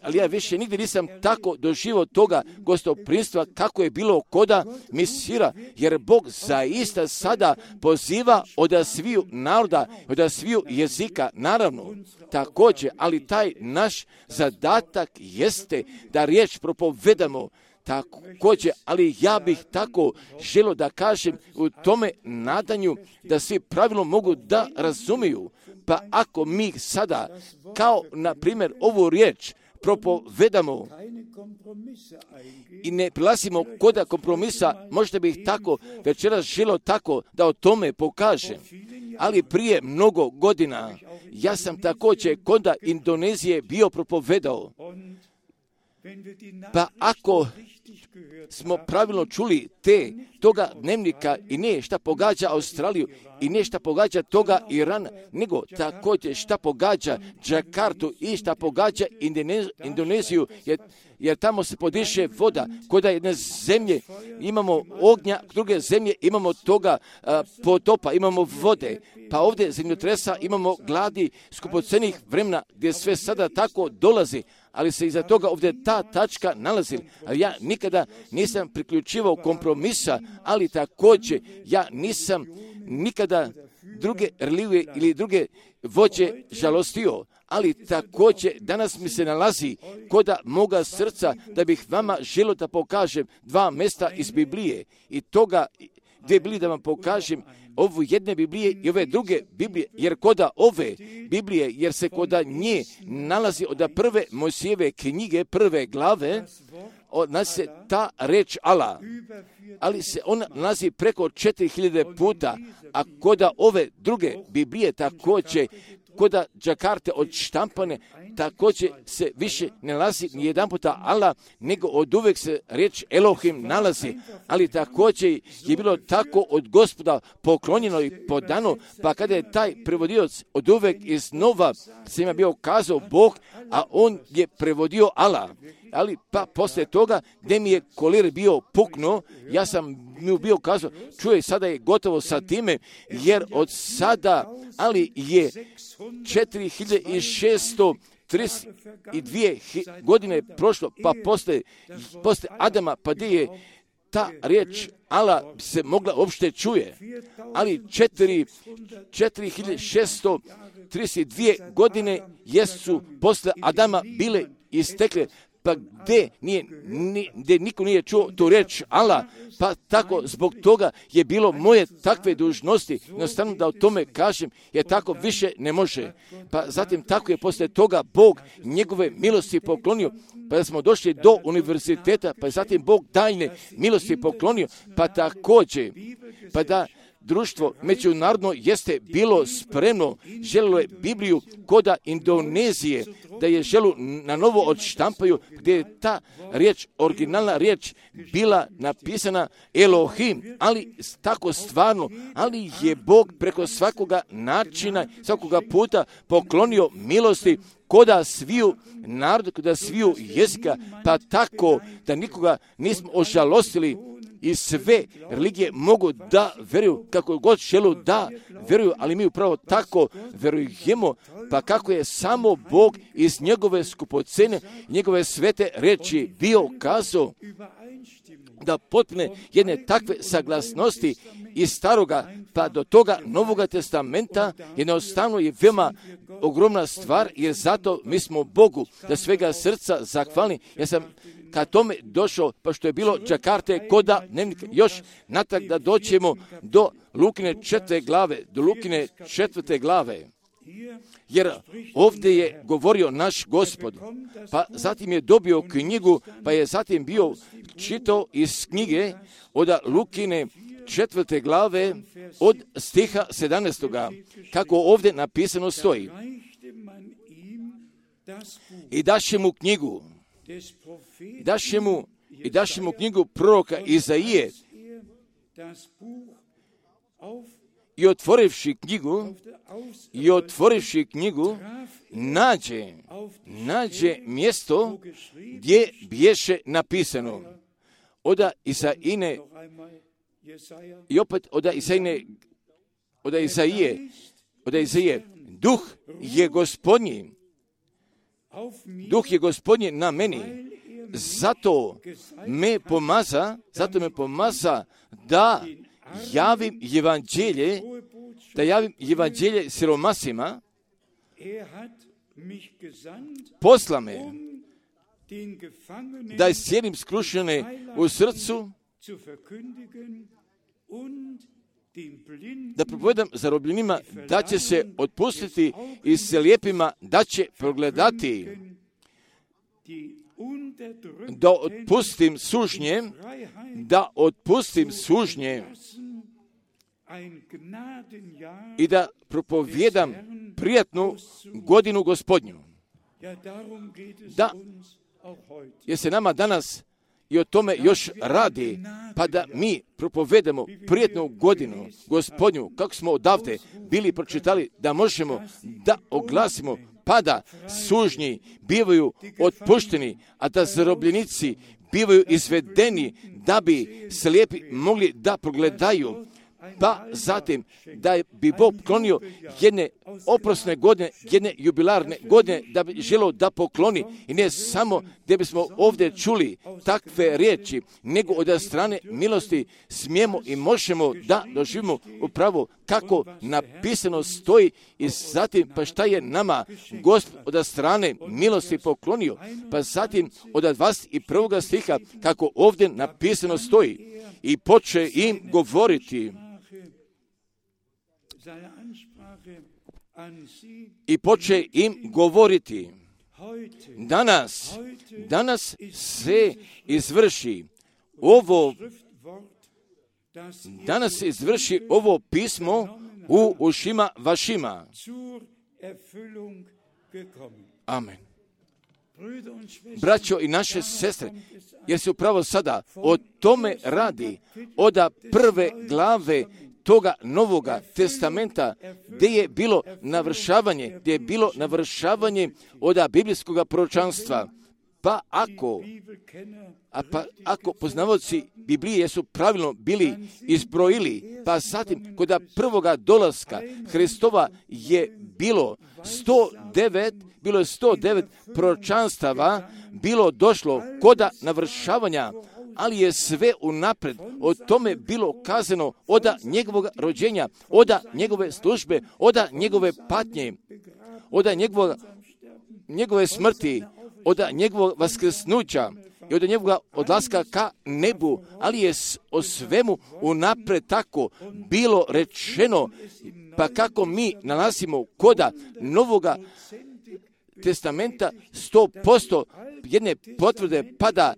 ali ja više nigdje nisam tako doživio toga gostoprimstva kako je bilo koda misira, jer Bog zaista sada poziva od sviju naroda, od sviju jezika, naravno, također, ali taj naš zadatak jeste da riječ propovedamo, također, ali ja bih tako želio da kažem u tome nadanju da svi pravilno mogu da razumiju. Pa ako mi sada, kao na primjer ovu riječ, propovedamo i ne prilazimo koda kompromisa, možda bih tako večeras želio tako da o tome pokažem. Ali prije mnogo godina ja sam također koda Indonezije bio propovedao. Pa ako smo pravilno čuli te, toga dnevnika i ne šta pogađa Australiju i ne šta pogađa toga Irana, nego također šta pogađa Džakartu i šta pogađa Indoneziju, jer, jer tamo se podiše voda. Kod jedne zemlje imamo ognja, druge zemlje imamo toga a, potopa, imamo vode. Pa ovdje zemljotresa imamo gladi skupocenih vremena gdje sve sada tako dolazi, ali se iza toga ovdje ta tačka nalazi. Ali ja nikada nisam priključivao kompromisa, ali također ja nisam nikada druge religije ili druge vođe žalostio. Ali također danas mi se nalazi koda moga srca da bih vama želio da pokažem dva mjesta iz Biblije i toga dvije Biblije da vam pokažem, ovu jedne Biblije i ove druge Biblije, jer koda ove Biblije, jer se koda nje nalazi od prve Mojsijeve knjige, prve glave, nalazi se ta reč Allah, ali se ona nalazi preko četiri hiljade puta, a koda ove druge Biblije također, koda Džakarte od štampane, također se više ne nalazi ni jedan puta Allah, nego od uvek se riječ Elohim nalazi, ali također je bilo tako od Gospoda poklonjeno i podano, pa kada je taj prevodioc od uvek iznova se ima bio kazao Bog, a on je prevodio Allah. Ali pa poslije toga gdje mi je kolir bio puknuo, ja sam mi bio kazao, čuje, sada je gotovo sa time, jer od sada, ali je četiri hiljade šeststo trideset dvije godine prošlo, pa poslije, poslije Adama, pa gdje je ta riječ Allah se mogla uopšte čuje, ali četiri hiljade šeststo trideset dvije godine jesu poslije Adama bile istekle, pa gdje, nije, ni, gdje niko nije čuo tu riječ Allah, pa tako zbog toga je bilo moje takve dužnosti, jednostavno da o tome kažem, jer tako više ne može. Pa zatim tako je poslije toga Bog njegove milosti poklonio, pa da smo došli do univerziteta, pa je zatim Bog tajne milosti poklonio, pa također, pa da društvo međunarodno jeste bilo spremno, želilo je Bibliju koda Indonezije, da je želu na novo odštampaju, gdje je ta riječ, originalna riječ, bila napisana Elohim, ali tako stvarno, ali je Bog preko svakoga načina, svakoga puta poklonio milosti koda sviju naroda, koda sviju jezika, pa tako da nikoga nismo ožalostili i sve religije mogu da veruju kako god želu da veruju, ali mi upravo tako verujemo, pa kako je samo Bog iz njegove skupocene, njegove svete reči bio kazao da potpune jedne takve saglasnosti iz staroga pa do toga Novoga testamenta jednostavno je veoma ogromna stvar, jer zato mi smo Bogu da svega srca zahvalni. Ja sam ka tome došao, pa što je bilo Džakarte koda dnevnika, još natrag da doćemo do Lukine četvrte glave, do Lukine četvrte glave. Jer ovdje je govorio naš Gospod, pa zatim je dobio knjigu, pa je zatim bio čitao iz knjige od Lukine četvrte glave od stiha sedamnaestoga, kako ovdje napisano stoji. I daše mu knjigu, daše mu, i daše mu knjigu proroka Izaije, i otvorivši knjigu, i otvorivši knjigu, nađe, nađe mjesto gdje bješe napisano. Oda Isaine, i opet oda Isaine, oda Izaije, oda Izaije, duh je Gospodnji, duh je Gospodnji na meni, zato me pomaza, zato me pomaza da javim evanđelje, da javim evanđelje siromasima, posla me da iscijelim skrušene u srcu, da propovedam zarobljenima da će se otpustiti i slijepima da će progledati, da otpustim sužnje, da otpustim sužnje i da propovijedam prijatnu godinu Gospodnju. Da, jer se nama danas i o tome još radi, pa da mi propovedemo prijatnu godinu Gospodnju, kako smo odavde bili pročitali, da možemo da oglasimo, pa da sužnji bivaju otpušteni, a da zarobljenici bivaju izvedeni, da bi slijepi mogli da progledaju, pa zatim da bi Bog poklonio jedne oprosne godine, jedne jubilarne godine, da bi želio da pokloni, i ne samo da bismo ovdje čuli takve riječi, nego od strane milosti smijemo i možemo da doživimo upravo kako napisano stoji, i zatim pa šta je nama Gospod od strane milosti poklonio, pa zatim od dvadeset prvog stiha kako ovdje napisano stoji, i poče im govoriti, i poče im govoriti, danas, danas se izvrši ovo, danas se izvrši ovo pismo u ušima vašima. Amen. Braćo i naše sestre, jer se upravo sada o tome radi, od prve glave toga Novoga testamenta, gdje je bilo navršavanje, gdje je bilo navršavanje od biblijskog proročanstva. Pa ako, a pa ako poznavaoci Biblije su pravilno bili izbrojili, pa zatim kod prvoga dolaska Hristova je bilo sto devet, bilo je sto devet proročanstava, bilo došlo koda navršavanja, ali je sve unapred o tome bilo kazano od njegovog rođenja, od njegove službe, od njegove patnje, od njegove, njegove smrti, od njegovog vaskrsnuća i od njegovog odlaska ka nebu, ali je o svemu unapred tako bilo rečeno, pa kako mi nalazimo koda Novoga testamenta sto posto jedne potvrde pada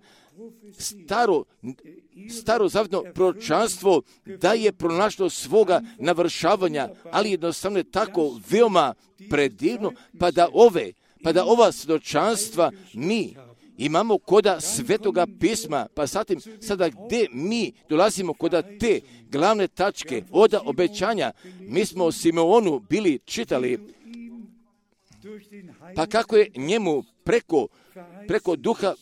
staro, staro zavjetno proročanstvo da je pronašlo svoga navršavanja, ali jednostavno je tako veoma predivno, pa da ove, pa da ova svjedočanstva mi imamo koda Svetoga pisma, pa zatim sada gdje mi dolazimo koda te glavne tačke od obećanja, mi smo o Simeonu bili čitali, pa kako je njemu preko, preko duha,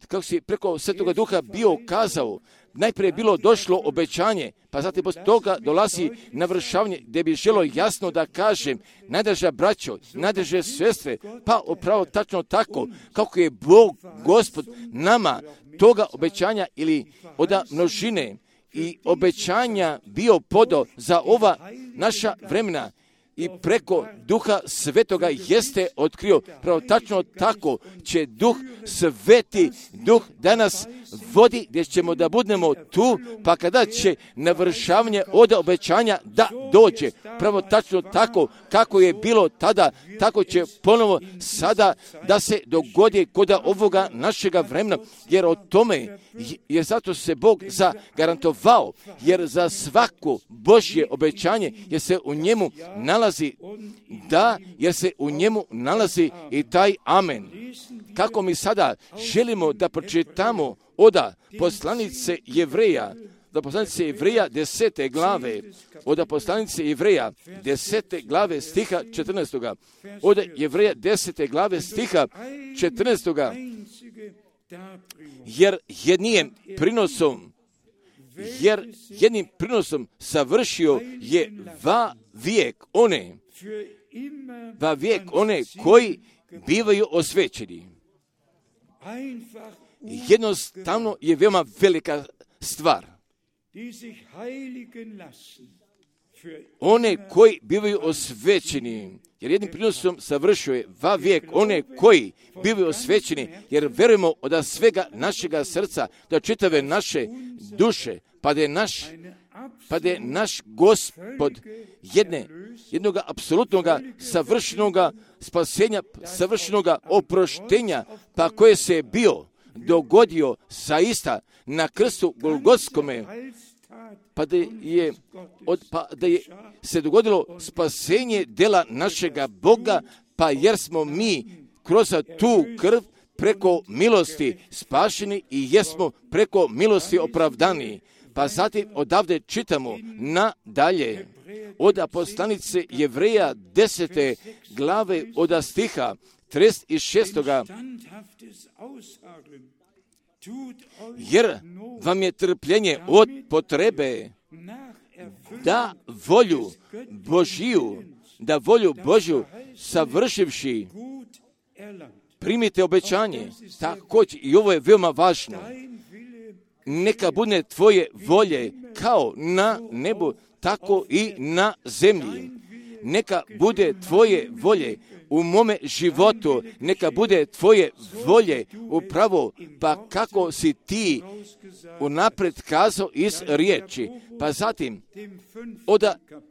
kako si preko Svetoga Duha bio kazao, najprije je bilo došlo obećanje, pa zatim poslije toga dolazi navršavanje, gdje bi želo jasno da kažem, najdraža braćo, najdraže sestre, pa upravo tačno tako, kako je Bog, Gospod, nama toga obećanja ili od množine i obećanja bio podo za ova naša vremena, i preko Duha Svetoga jeste otkrio. Pravo tačno tako će Duh Sveti, Duh danas vodi, gdje ćemo da budemo tu, pa kada će navršavanje od obećanja da dođe. Pravo tačno tako kako je bilo tada, tako će ponovo sada da se dogodi kod ovoga našega vremena, jer o tome, jer zato se Bog zagarantovao, jer za svako Božje obećanje, jer se u njemu nalazi da, jer se u njemu nalazi i taj amen. Kako mi sada želimo da pročitamo oda poslanice Jevreja, da poslanice Jevreja desete glave, oda poslanice Jevreja desete glave stiha četrnaestoga, oda Jevreja desete glave stiha četrnaestoga, jer jednim prinosom, jer jednim prinosom savršio je va vijek one, va vijek one koji bivaju osvećeni. Jednostavno je veoma velika stvar. One koji bivaju osvećeni, jer jednim prinosom savršio je va vijek one koji bivaju osvećeni, jer verujemo od svega našega srca, da čitave naše duše, pa da je naš, pa da je naš Gospod jedne, jednog apsolutnog savršenog spasenja, savršenog oproštenja, pa koje se je bio dogodio saista na krstu Golgotskome, pa da je, od, pa da je se dogodilo spasenje dela našega Boga, pa jer smo mi kroz tu krv preko milosti spašeni i jesmo preko milosti opravdani. Pa zatim odavde čitamo nadalje od poslanice Jevreja desete glave od stiha trideset šestoga. Jer vam je trpljenje od potrebe da volju Božiju, da volju Božju savršivši primite obećanje. Također, i ovo je veoma važno. Neka bude tvoje volje kao na nebu, tako i na zemlji. Neka bude tvoje volje u mome životu, neka bude tvoje volje upravo, pa kako si ti unapred kazao iz riječi. Pa zatim, od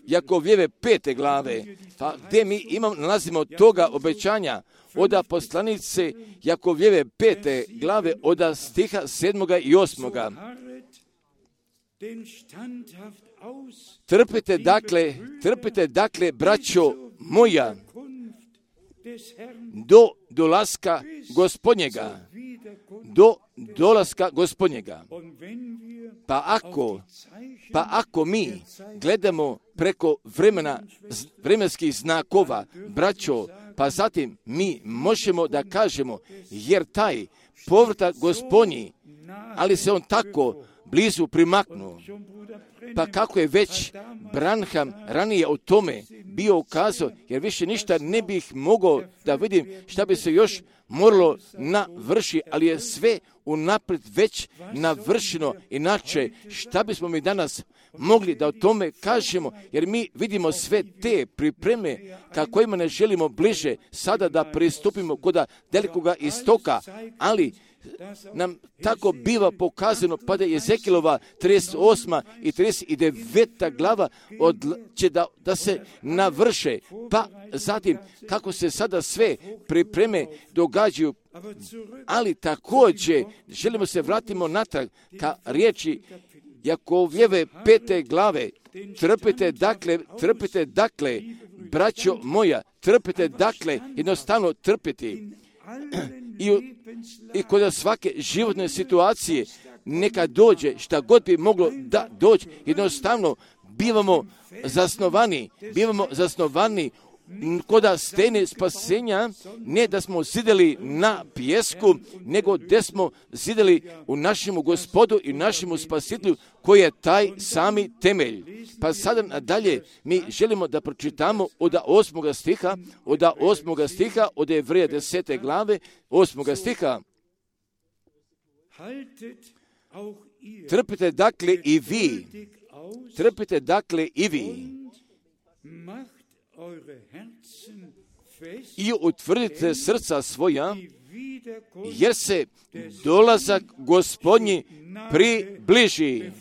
Jakovljeve pete glave, pa gdje mi imam, nalazimo toga obećanja, od poslanice Jakovljeve pete glave, od stiha sedmoga i osmoga. Trpite dakle, trpite dakle, braćo moja, do dolaska Gospodnjega, do dolaska Gospodnjega. Pa ako, pa ako mi gledamo preko vremena, vremenskih znakova, braćo, pa zatim mi možemo da kažemo, jer taj povratak Gospodnji, ali se on tako blizu primaknuo. Pa kako je već Branham ranije o tome bio ukazao, jer više ništa ne bih mogao da vidim šta bi se još moralo navrši, ali je sve unaprijed već navršeno. Inače, šta bismo mi danas mogli da o tome kažemo, jer mi vidimo sve te pripreme kako ima ne želimo bliže sada da pristupimo kod dalekog istoka, ali nam tako biva pokazano, pa da je Ezekilova trideset osma i trideset deveta glava od, će da, da se navrše, pa zatim kako se sada sve pripreme događaju, ali također želimo se vratimo natrag ka riječi Jakovljeve pete glave. Trpite dakle, trpite dakle, braćo moja, trpite dakle, jednostavno trpiti. I, I kod svake životne situacije neka dođe, šta god bi moglo da dođe, jednostavno bivamo zasnovani, bivamo zasnovani kod stene spasenja, ne da smo zideli na pijesku, nego da smo zideli u našemu Gospodu i našemu Spasitelju, koji je taj sami temelj. Pa sada nadalje mi želimo da pročitamo od osmoga stiha, od osmoga stiha, od Jevreja desete glave, osmoga stiha. Trpite dakle i vi, trpite dakle i vi, i utvrdite srca svoja, jer se dolazak Gospodnji približi.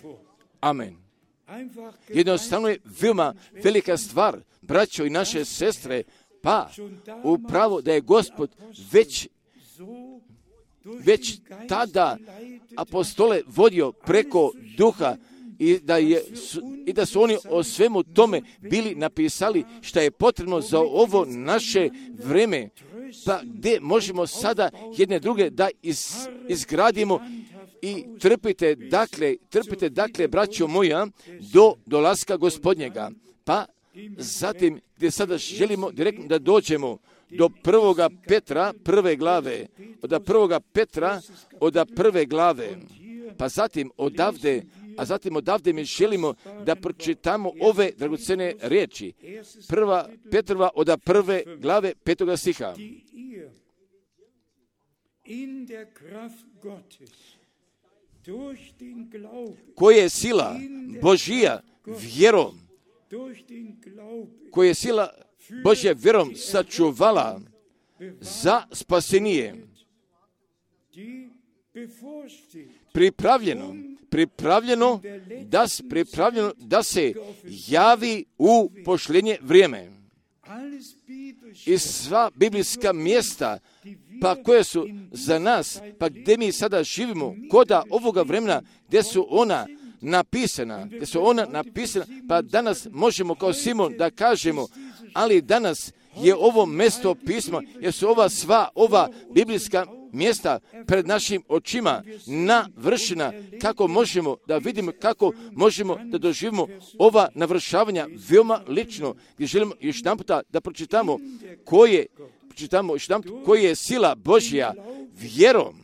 Amen. Jednostavno je veoma velika stvar, braćo i naše sestre, pa upravo da je Gospod već već tada apostole vodio preko duha i da, je, i da su oni o svemu tome bili napisali šta je potrebno za ovo naše vreme, pa gdje možemo sada jedne druge da iz, izgradimo i trpite, dakle, trpite, dakle, braćo moja, do dolaska Gospodnjega. Pa zatim, gdje sada želimo direktno da dođemo do prvoga Petra, prve glave, od prvoga Petra, od prve glave, pa zatim odavde, a zatim odavde mi želimo da pročitamo ove dragocene riječi. Prva Petrova od prve glave, petoga stiha. Koje je sila Božija vjerom, koje je sila Božja vjerom sačuvala za spasenije, pripravljeno, pripravljeno da, pripravljeno da se javi u pošljenje vrijeme. I sva biblijska mjesta, pa koje su za nas, pa gdje mi sada živimo, koda ovoga vremena, gdje su ona napisana, gdje su ona napisana, pa danas možemo kao Simon da kažemo, ali danas je ovo mjesto pisma, jer su ova sva, ova biblijska mjesta pred našim očima navršena, kako možemo da vidimo, kako možemo da doživimo ova navršavanja veoma lično, gdje želimo još jedan puta da pročitamo koje, pročitamo još jedan puta, koje je sila Božja vjerom,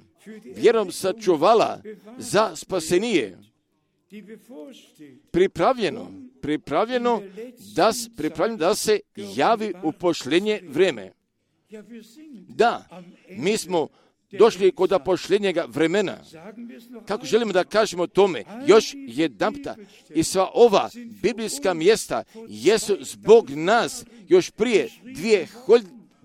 vjerom sačuvala za spasenije, pripravljeno, pripravljeno da, pripravljeno da se javi u pošljenje vrijeme. Da, mi smo došli kod pošljenjega vremena. Kako želimo da kažemo tome, još jedanputa, i sva ova biblijska mjesta jesu zbog nas još prije dvije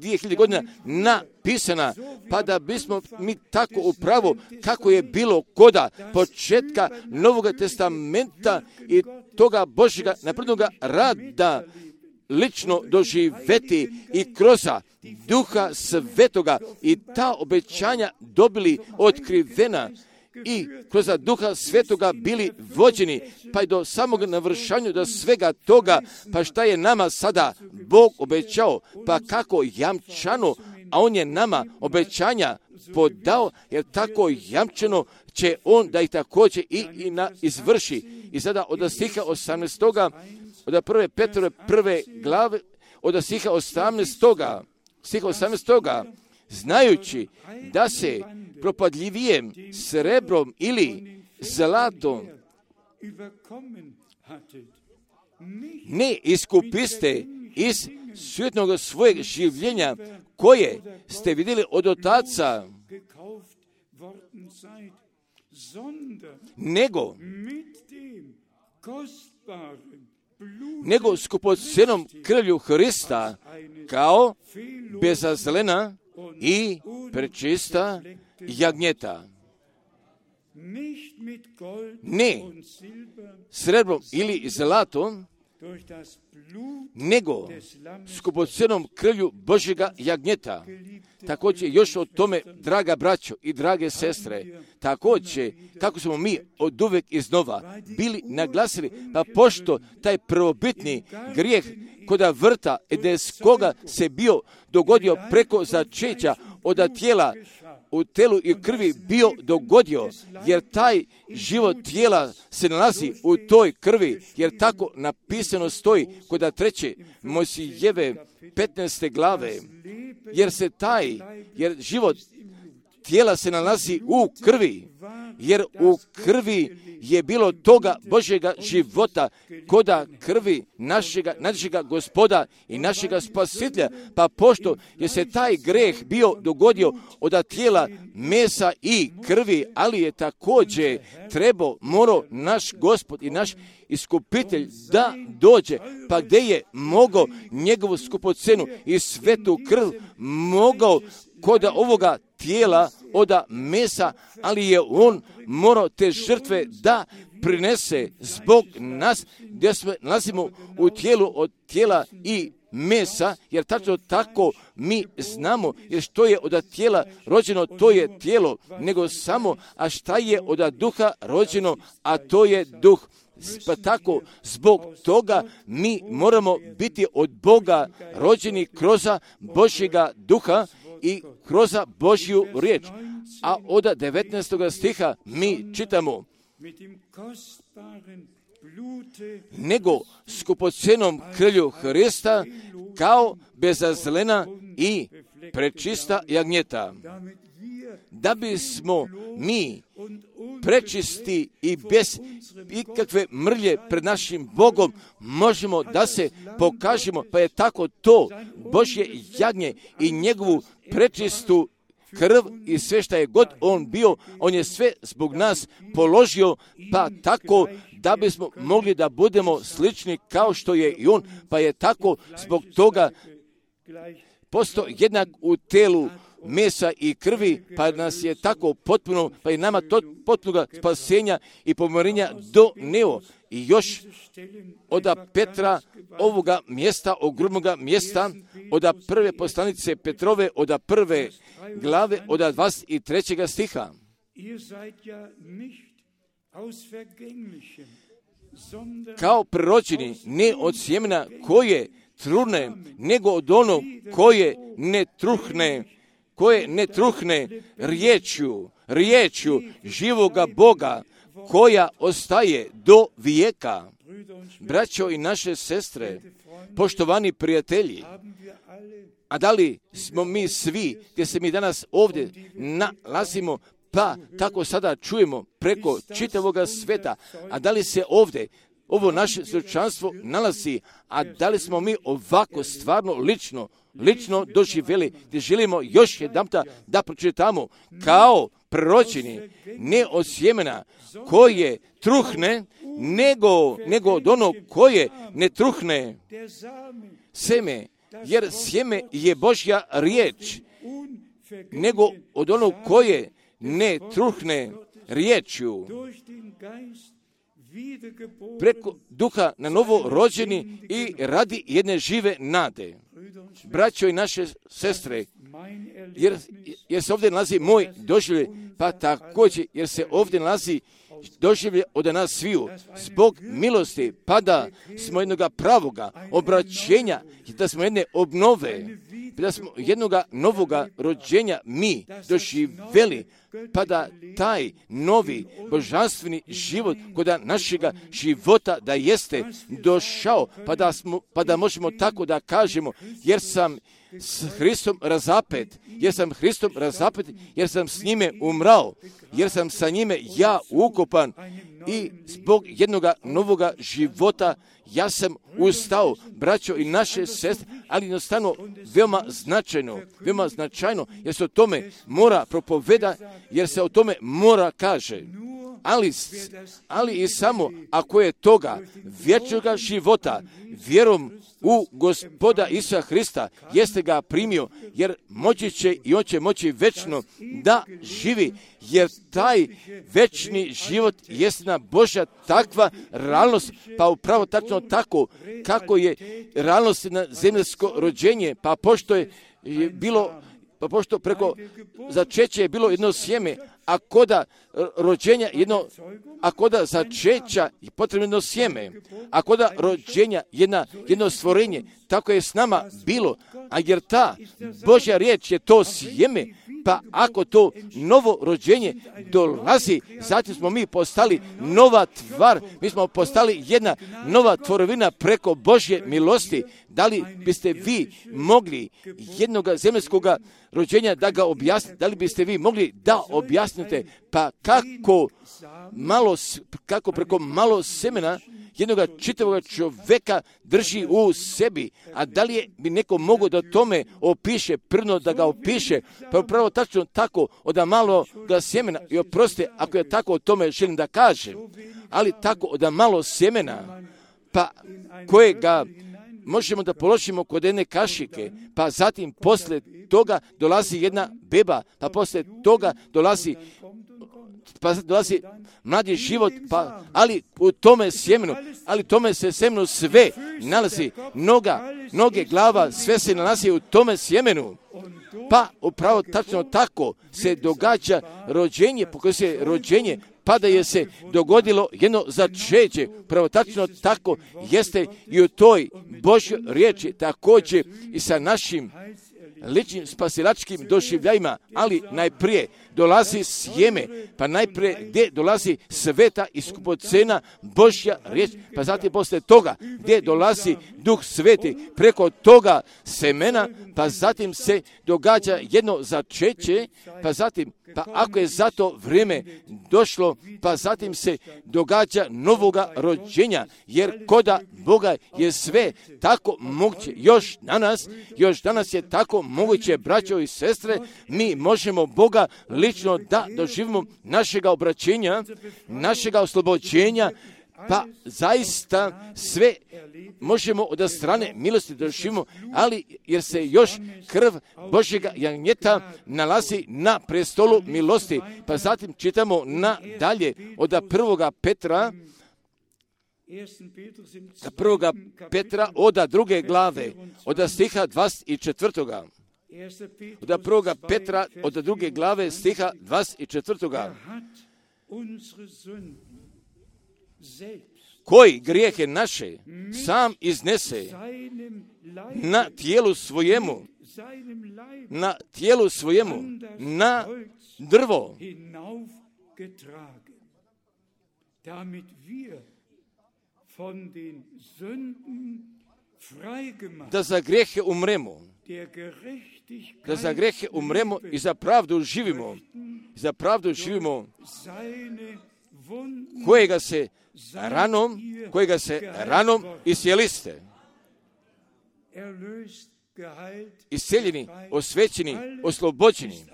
dvije hiljade godina napisana, pa da bismo mi tako upravo kako je bilo koda početka Novog testamenta i toga Božjega naprednoga rada lično doživeti i kroz Duha Svetoga i ta obećanja dobili otkrivena i kroz Duha Svetoga bili vođeni, pa i do samog navršanja do svega toga, pa šta je nama sada Bog obećao, pa kako jamčano, a On je nama obećanja podao, jer tako jamčeno će On da ih također i, i na, izvrši. I sada od stiha osamnaestoga, od prve Petrove prve glave, od stiha osamnaestoga, stiha osamnaestoga, znajući da se propadljivijem srebrom ili zlatom ne iskupiste iz svjetnog svojeg življenja koje ste vidjeli od otaca, nego nego skupocenom krvlju Hrista kao bezazlena i prečista jagnjeta. Ne srebrom ili zlatom, nego skupocenom krvlju Božjega jagnjeta. Također još o tome, draga braćo i drage sestre, također kako smo mi od uvek iznova bili naglasili, pa pošto taj prvobitni grijeh koda vrta edenskoga se bio dogodio preko začeća od tijela u telu i krvi bio dogodio, jer taj život tijela se nalazi u toj krvi, jer tako napisano stoji kod treće Mojsijeve petnaeste glave, jer se taj, jer život tijela se nalazi u krvi, jer u krvi je bilo toga Božjega života, koda krvi našega, našega Gospoda i našega Spasitelja, pa pošto je se taj greh bio dogodio od tijela, mesa i krvi, ali je također trebao, morao naš Gospod i naš Iskupitelj da dođe, pa gdje je mogao njegovu skupocenu i svetu krv mogao koda ovoga tijela, od mesa, ali je on morao te žrtve da prinese zbog nas, gdje se nalazimo u tijelu od tijela i mesa, jer tačno tako mi znamo, jer što je od tijela rođeno, to je tijelo, nego samo, a šta je od duha rođeno, a to je duh. Pa tako, zbog toga mi moramo biti od Boga rođeni kroz Božjega duha i kroz Božju riječ. A od devetnaestog stiha mi čitamo: nego skupocenom krvlju Hrista, kao bezazlena i prečista jagnjeta, da bismo mi prečisti i bez ikakve mrlje pred našim Bogom možemo da se pokažemo, pa je tako to Božje jagnje i njegovu prečistu krv i sve šta je god on bio, on je sve zbog nas položio, pa tako da bismo mogli da budemo slični kao što je i on, pa je tako zbog toga postao jednak u telu mesa i krvi, pa nas je tako potpuno, pa je nama to potpuno spasenja i pomirenja doneo. I još od Petra ovoga mjesta, ogromnoga mjesta, od prve poslanice Petrove, od prve glave, od dvadeset trećeg stiha. Kao prirođeni, ne od sjemena koje trune, nego od onog koje ne truhne, koje ne truhne riječju, riječju živoga Boga, koja ostaje do vijeka. Braćo i naše sestre, poštovani prijatelji, a da li smo mi svi, gdje se mi danas ovdje nalazimo, pa tako sada čujemo preko čitavoga sveta, a da li se ovdje ovo naše svjedočanstvo nalazi, a da li smo mi ovako stvarno lično, lično doživjeli, gdje želimo još jedanputa da pročitamo, kao proročeni, ne od sjemena koje truhne, nego, nego od onog koje ne truhne seme, jer sjeme je Božja riječ, nego od onog koje ne truhne riječju, preko duha na novo rođeni i radi jedne žive nade. Braćo i naše sestre, jer, jer se ovdje nalazi moj doživljaj, pa također jer se ovdje nalazi doživljaj od nas sviju, zbog milosti, pa da smo jednoga pravoga obraćenja, da smo jedne obnove, da smo jednoga novoga rođenja mi doživjeli, pa da taj novi božanstveni život kod našega života da jeste došao, pa da, smo, pa da možemo tako da kažemo, jer sam s Hristom razapet, jer sam Hristom razapet, jer sam s njime umrao, jer sam sa njime ja ukopan i zbog jednoga novoga života ja sam ustao, braćo i naše sestre, ali jednostavno veoma značajno, veoma značajno, jer se o tome mora propoveda, jer se o tome mora kaže. Ali, ali i samo ako je toga vječnoga života vjerom u Gospoda Isusa Hrista jeste ga primio, jer moći će i on će moći večno da živi, jer taj večni život jest na Božja takva realnost, pa upravo tačno tako kako je realnost na zemljansko rođenje, pa pošto je bilo Pa pošto preko začeća je bilo jedno sjeme, a koda rođenja jedno, a koda začeća je potrebno jedno sjeme, a koda rođenja jedna, jedno stvorenje, tako je s nama bilo, a jer ta Božja riječ je to sjeme, pa ako to novo rođenje dolazi, zatim smo mi postali nova tvar, mi smo postali jedna nova tvorovina preko Božje milosti. Da li biste vi mogli jednog zemljskog rođenja da ga objasnite, da li biste vi mogli da objasnite, pa kako malo, kako preko malo semena jednog čitavog čovjeka drži u sebi, a da li je, bi neko mogao da tome opiše, prno da ga opiše, pa upravo tačno tako od malo ga sjemena, i oprostite ako je tako o tome želim da kažem, ali tako od malo sjemena, pa kojega možemo da položimo kod jedne kašike, pa zatim posle toga dolazi jedna beba, pa posle toga dolazi pa dolazi mladi život, pa, ali u tome sjemenu, ali tome se sjemenu sve nalazi, noga, noge, glava, sve se nalazi u tome sjemenu. Pa upravo tačno tako se događa rođenje, po se rođenje, pa da je se dogodilo jedno začeće. Pravo tačno tako jeste i u toj Božjoj riječi, također i sa našim ličnim spasilačkim doživljajima, ali najprije dolazi sjeme, pa najprije gdje dolazi sveta i skupocena Božja riječ, pa zatim poslije toga gdje dolazi Duh Sveti preko toga semena, pa zatim se događa jedno začeće, pa zatim, pa ako je za to vrijeme došlo, pa zatim se događa novoga rođenja, jer koda Boga je sve tako moguće. Još danas, još danas je tako moguće, braćo i sestre, mi možemo Boga lično da doživimo našega obraćenja, našega oslobođenja, pa zaista sve možemo od strane milosti doživimo, ali jer se još krv Božjega jagnjeta nalazi na prestolu milosti. Pa zatim čitamo nadalje od prvoga Petra, prvoga Petra od druge glave, od stiha dvadeset četvrtoga. Od prvoga Petra od druge glave stiha dvadeset četvrtoga. Koji grijehe naše sam iznese na tijelu svojemu, na tijelu svojemu, na drvo, da za grijehe umremo, da za grijehe umremo i za pravdu živimo, za pravdu živimo, kojega se ranom, kojega se ranom isjeliste. Isceljeni, osvećeni, oslobođeni,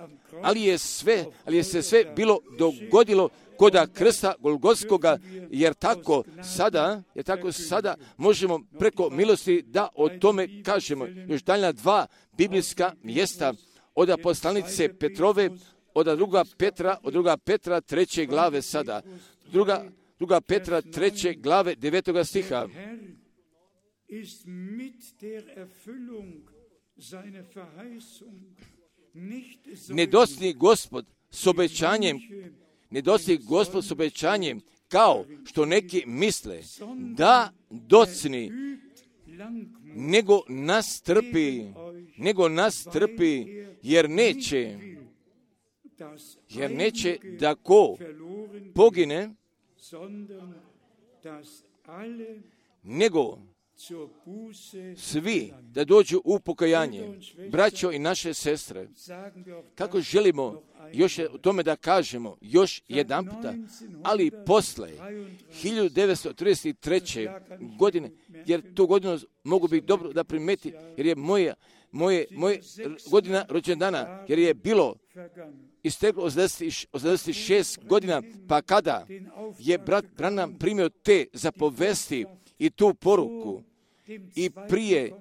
ali je sve, ali je se sve bilo dogodilo koda krsta Golgotskoga, jer tako sada, jer tako sada možemo preko milosti da o tome kažemo. Još daljna dva biblijska mjesta od poslanice Petrove, od druga Petra, od druga Petra treće glave sada. Druga, druga Petra treće glave devetoga stiha. Ne dostigne Gospod s obećanjem, ne dostigne Gospod s obećanjem, kao što neki misle, da docni, nego nas trpi, nego nas trpi, jer neće, jer neće da ko pogine, nego svi da dođu u pokajanje. Braćo i naše sestre, kako želimo još o tome da kažemo još jedan puta, ali posle hiljadu devetsto trideset treće godine, jer tu godinu mogu biti dobro da primeti, jer je moja, moje, moje godina rođendana, jer je bilo isteklo osamdeset šest godina, pa kada je brat Branham primio te zapovesti i tu poruku i prije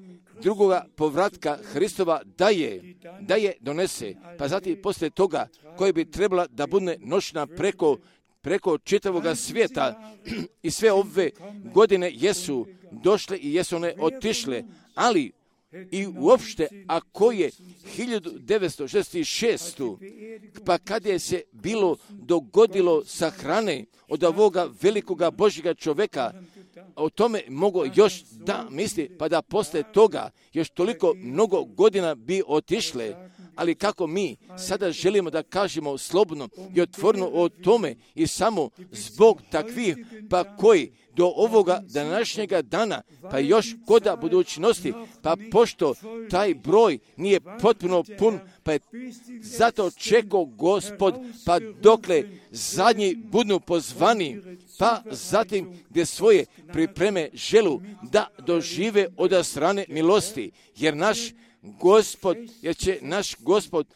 drugoga povratka Hristova da je, da je donese, pa zatim poslije toga koji bi trebala da bude nošena preko, preko čitavoga svijeta i sve ove godine jesu došle i jesu one otišle, ali i uopšte ako je hiljadu devetsto šezdeset šeste. pa kad je se bilo dogodilo sa hrane od ovoga velikoga Božjega čovjeka, o tome mogu još da misli, pa da posle toga još toliko mnogo godina bi otišle, ali kako mi sada želimo da kažemo slobodno i otvoreno o tome i samo zbog takvih, pa koji do ovoga današnjega dana, pa još koda budućnosti, pa pošto taj broj nije potpuno pun, pa je zato čekao Gospod, pa dokle zadnji budu pozvani, pa zatim gdje svoje pripreme želu da dožive od strane milosti, jer naš Gospod, jer će naš Gospod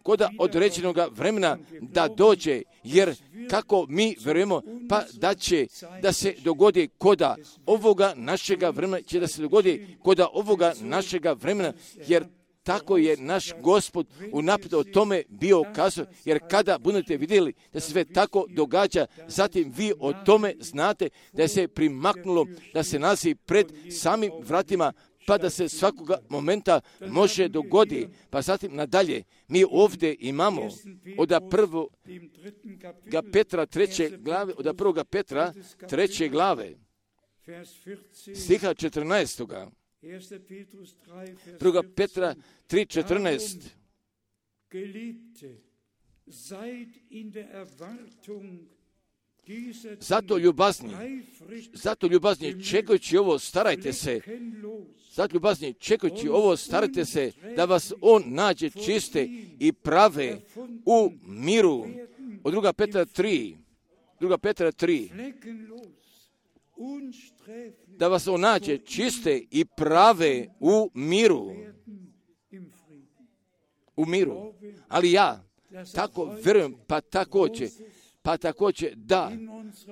koda određenog vremena da dođe, jer kako mi vjerujemo, pa da će da se dogodi koda ovoga našega vremena, će da se dogodi koda ovoga našega vremena, jer tako je naš Gospod unaprijed o tome bio kazao, jer kada budete vidjeli da se sve tako događa, zatim vi o tome znate da se primaknulo, da se nalazi pred samim vratima, pa da se svakoga momenta može dogodi. Pa zatim nadalje, mi ovdje imamo od prvoga Petra treće glave, od prvoga Petra treće glave, stiha četrnaestoga. Druga Petra tri četrnaest. Zato ljubazni, zato ljubazni, čekajući ovo, starajte se, zato ljubazni, čekajući ovo, starajte se, da vas on nađe čiste i prave u miru. Od druga Petra tri, druga Petra tri, da vas on nađe čiste i prave u miru. U miru. Ali ja tako vjerujem, pa također, pa također da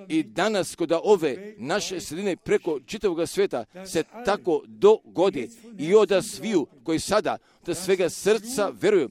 i danas kod ove naše sredine preko čitavog svijeta se tako dogodi i od sviju koji sada da svega srca vjeruju,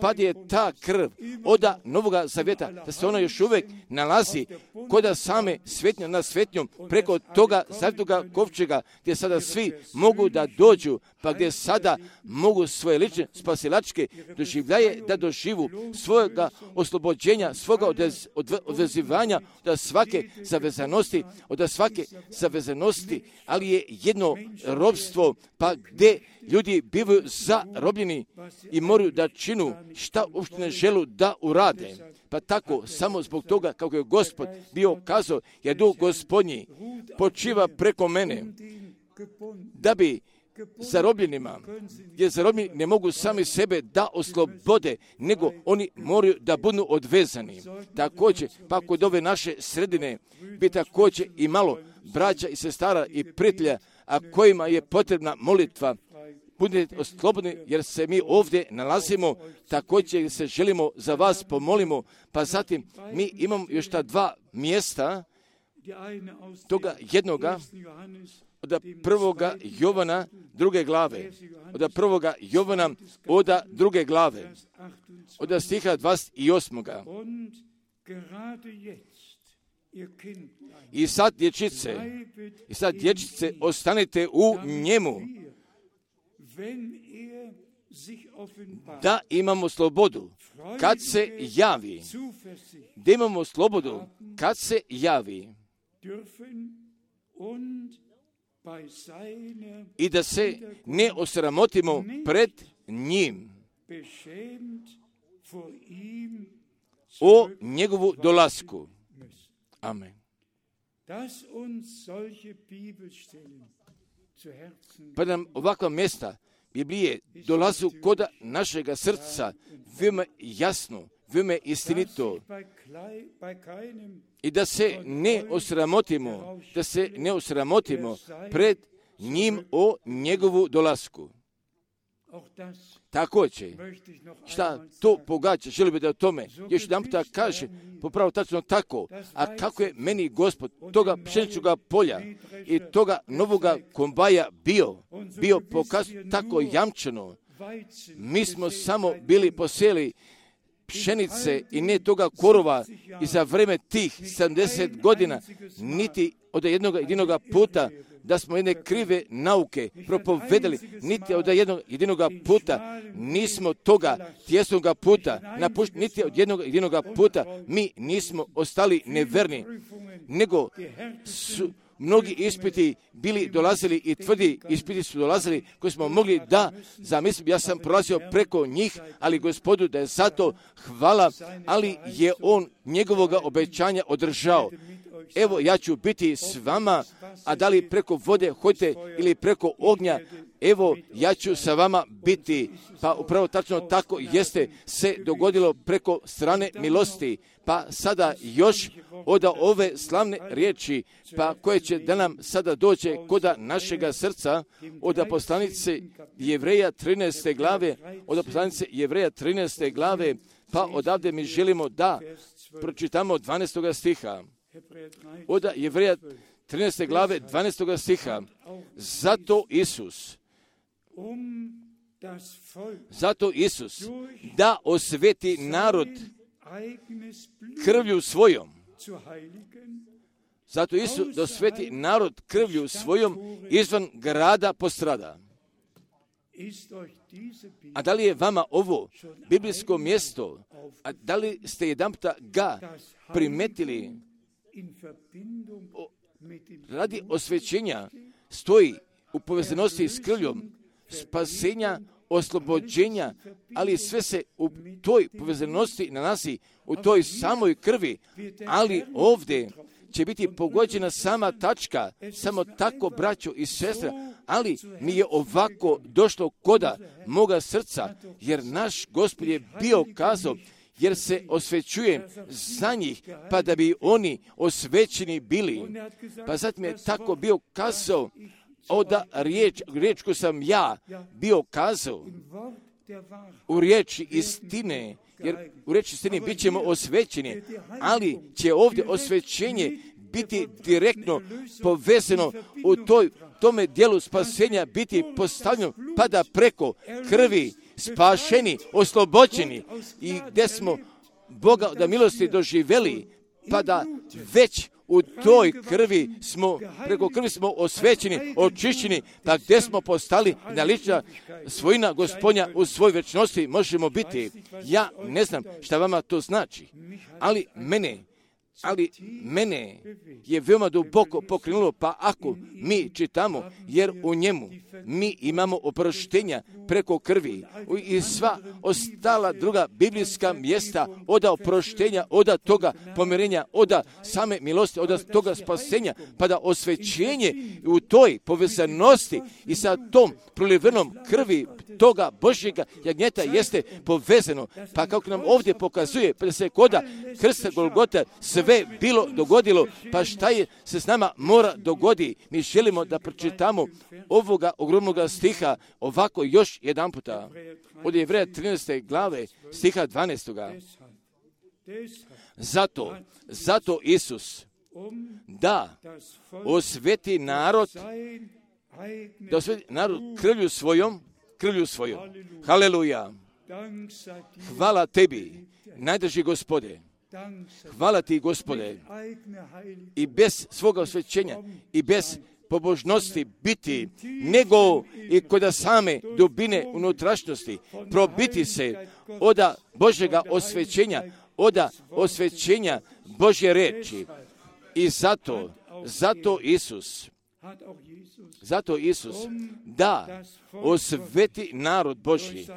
pa je ta krv oda Novoga Zavjeta, da se ona još uvijek nalazi kod same svetnje na svetnjom preko toga zavjetoga kovčega, gdje sada svi mogu da dođu, pa gdje sada mogu svoje lične spasilačke doživljaje da doživu svojega oslobođenja, svoga odvez, odve, odvezivanja od svake zavezanosti, od svake zavezanosti, ali je jedno robstvo, pa gdje ljudi bivaju zarobljeni i moraju da činu šta uopšte ne želu da urade. Pa tako, samo zbog toga kako je Gospod bio kazao, jer Duh Gospodnji počiva preko mene, da bi zarobljenima, jer zarobljeni ne mogu sami sebe da oslobode, nego oni moraju da budu odvezani. Također, pa kod ove naše sredine bi također i malo braća i sestara i prijatelja, a kojima je potrebna molitva, budite slobodni, jer se mi ovdje nalazimo, također se želimo za vas pomolimo, pa zatim mi imamo još ta dva mjesta, toga jednoga, od prvoga Jovana druge glave, od prvoga Jovana od druge glave, od stiha dvadeset osmoga. I sad dječice, i sad dječice, ostanite u njemu, da imamo slobodu kad se javi, da imamo slobodu kad se javi i da se ne osramotimo pred njim o njegovu dolasku. Amen. Pa nam ovakva mjesta Biblije dolazu kod našega srca veoma jasno, veoma istinito, i da se ne osramotimo, da se ne osramotimo pred njim o njegovu dolasku. Također, šta to pogađa, želim bi da o tome još jedan puta kaže, popravo tačno tako, a kako je meni Gospod toga pšeničnoga polja i toga novoga kombaja bio, bio pokaz tako jamčeno, mi smo samo bili poseli pšenice i ne toga korova i za vreme tih sedamdeset godina, niti od jednog jedinog puta da smo jedne krive nauke propovedali, niti od jednog jedinog puta nismo toga tjesnoga puta napušteni, niti od jednog jedinog puta mi nismo ostali neverni, nego su mnogi ispiti bili dolazili i tvrdi ispiti su dolazili koji smo mogli da zamislim, ja sam prolazio preko njih, ali Gospodu da je zato hvala, ali je on njegovoga obećanja održao. evo ja ću biti s vama, a da li preko vode hoćete ili preko ognja, evo ja ću sa vama biti. Pa upravo tačno tako jeste se dogodilo preko strane milosti. Pa sada još od ove slavne riječi, pa koje će da nam sada dođe koda našega srca, od poslanice Jevreja trinaeste glave, od poslanice Jevreja trinaeste glave, pa odavde mi želimo da pročitamo dvanaestoga stiha. Od Jevreja trinaeste glave dvanaestoga stiha. Zato Isus, zato Isus da osveti narod krvlju svojom. Zato Isus da osveti narod krvlju svojom izvan grada postrada. A da li je vama ovo biblijsko mjesto, a da li ste jedanputa ga primetili, o, radi osvećenja stoji u povezanosti s krvljom spasenja, oslobođenja, ali sve se u toj povezanosti nalazi u toj samoj krvi, ali ovdje će biti pogođena sama tačka, samo tako, braćo i sestre, ali mi je ovako došlo koda moga srca, jer naš Gospod je bio kazao, jer se osvećuje za njih, pa da bi oni osvećeni bili. Pa zatim je tako bio kazao, oda riječ, riječ koju sam ja bio kazao, u riječi istine, jer u riječi istine bit ćemo osvećeni, ali će ovdje osvećenje biti direktno povezano u toj, tome dijelu spasenja biti postavljeno, pa da preko krvi spašeni, oslobođeni i gdje smo Boga da milosti doživjeli, pa da već u toj krvi smo, preko krvi smo osvećeni, očišćeni, pa gdje smo postali na lična svojina Gospodnja u svoj večnosti možemo biti. Ja ne znam šta vama to znači, ali mene, ali mene je veoma duboko pokrenulo, pa ako mi čitamo, jer u njemu mi imamo oproštenja preko krvi i sva ostala druga biblijska mjesta oda oproštenja, oda toga pomirenja, oda same milosti, oda toga spasenja, pa da osvećenje u toj povezanosti i sa tom prolivenom krvi toga Božjega jagnjeta jeste povezano. Pa kako nam ovdje pokazuje, pa da se koda krsta Golgota sve bilo dogodilo, pa šta je se s nama mora dogodi. Mi želimo da pročitamo ovoga ogromnoga stiha ovako još jedan puta. Od Jevreja trinaeste glave stiha dvanaestoga. Zato, zato Isus da osveti narod, da osveti narod krvlju svojom, krvlju svojom. Haleluja. Hvala tebi, najdrži Gospode. Hvala ti, Gospode, i bez svoga osvećenja i bez pobožnosti biti, nego i kod same dubine unutrašnjosti probiti se oda Božjega osvećenja, oda osvećenja Božje reči. I zato, zato Isus, zato Isus da osveti narod Božji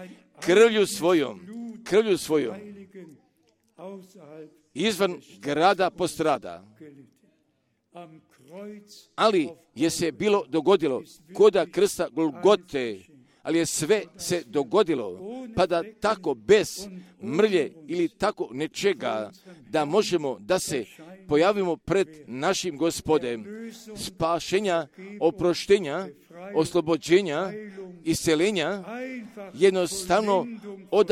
krvlju svojom, krvlju svojom, izvan grada postrada. Ali je se bilo dogodilo koda krsta Golgote, ali je sve se dogodilo, pa da tako bez mrlje ili tako nečega, da možemo da se pojavimo pred našim Gospodem, spašenja, oproštenja, oslobođenja, iscelenja, jednostavno od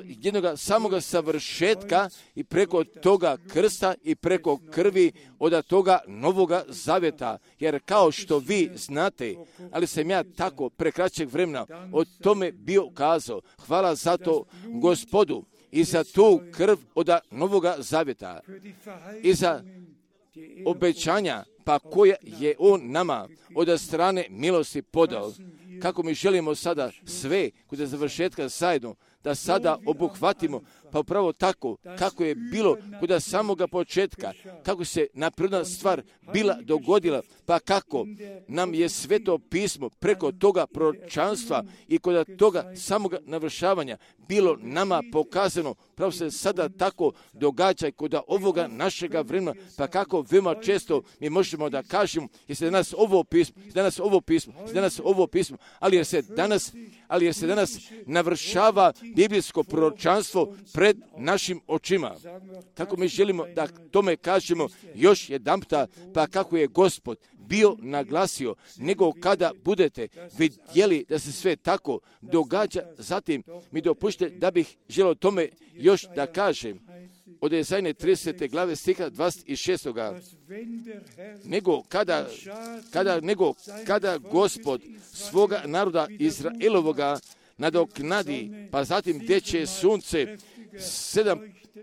jednoga samoga savršetka i preko toga krsta i preko krvi od toga novoga zavjeta. Jer kao što vi znate, ali sam ja tako prekraćeg vremena o tome bio kazao, hvala za to Gospodu i za tu krv od novoga zavjeta i za obećanja pa koja je on nama od strane milosti podao. Kako mi želimo sada sve kod završetka zajedno da sada obuhvatimo, pa upravo tako kako je bilo kod samoga početka, kako se napredna stvar bila dogodila, pa kako nam je Sveto pismo preko toga proročanstva i kod toga samoga navršavanja bilo nama pokazano pravo se sada tako događa kod ovoga našega vremena, pa kako veoma često mi možemo da kažemo, jer se danas ovo pismo, danas ovo pismo, danas ovo pismo, ali jer se danas, ali jer se danas navršava biblijsko proročanstvo pred našim očima. Kako mi želimo da tome kažemo još jedanputa, pa kako je Gospod bio naglasio, nego kada budete vidjeli da se sve tako događa, zatim mi dopušte da bih želio tome još da kažem. Od Jezajne tridesete glave stiha dvadeset šest. Nego kada, kada, nego kada Gospod svoga naroda Izraelovoga nadoknadi, pa zatim gdje će sunce sedam,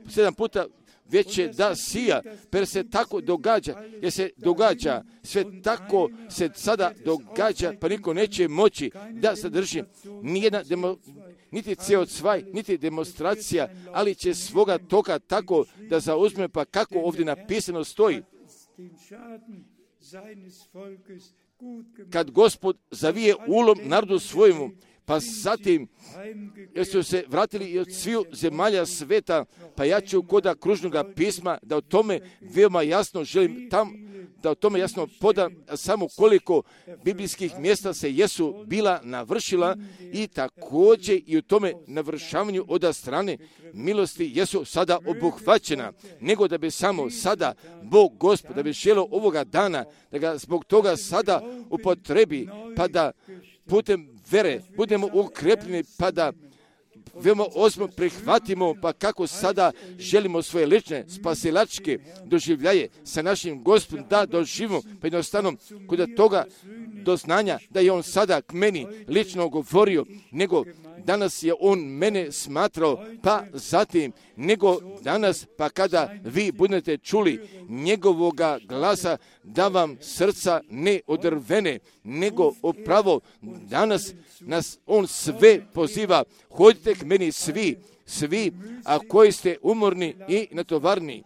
sedam puta veće da sija, per se tako događa, jer se događa, sve tako se sada događa, pa niko neće moći da zadrži nijedna demo, niti C O dva, niti demonstracija, ali će svoga toka tako da zauzme, pa kako ovdje napisano stoji. Kad Gospod zavije ulom narodu svojemu, pa zatim, jer su se vratili i od sviju zemalja sveta, pa ja ću koda kružnoga pisma da o tome veoma jasno želim tam, da o tome jasno podam samo koliko biblijskih mjesta se jesu bila navršila i također i u tome navršavanju od strane milosti jesu sada obuhvaćena, nego da bi samo sada Bog Gospod, da bi želio ovoga dana, da ga zbog toga sada upotrebi, pa da putem vere budemo ukrepljeni, pa da veoma ozbiljno prihvatimo, pa kako sada želimo svoje lične spasilačke doživljaje sa našim Gospodom da doživimo, pa jednostavno kod toga doznanja da je on sada k meni lično govorio, nego danas je on mene smatrao, pa zatim, nego danas, pa kada vi budete čuli njegovoga glasa, da vam srca ne odrvene, nego upravo danas nas on sve poziva, hodite k meni svi, svi, a koji ste umorni i natovarni.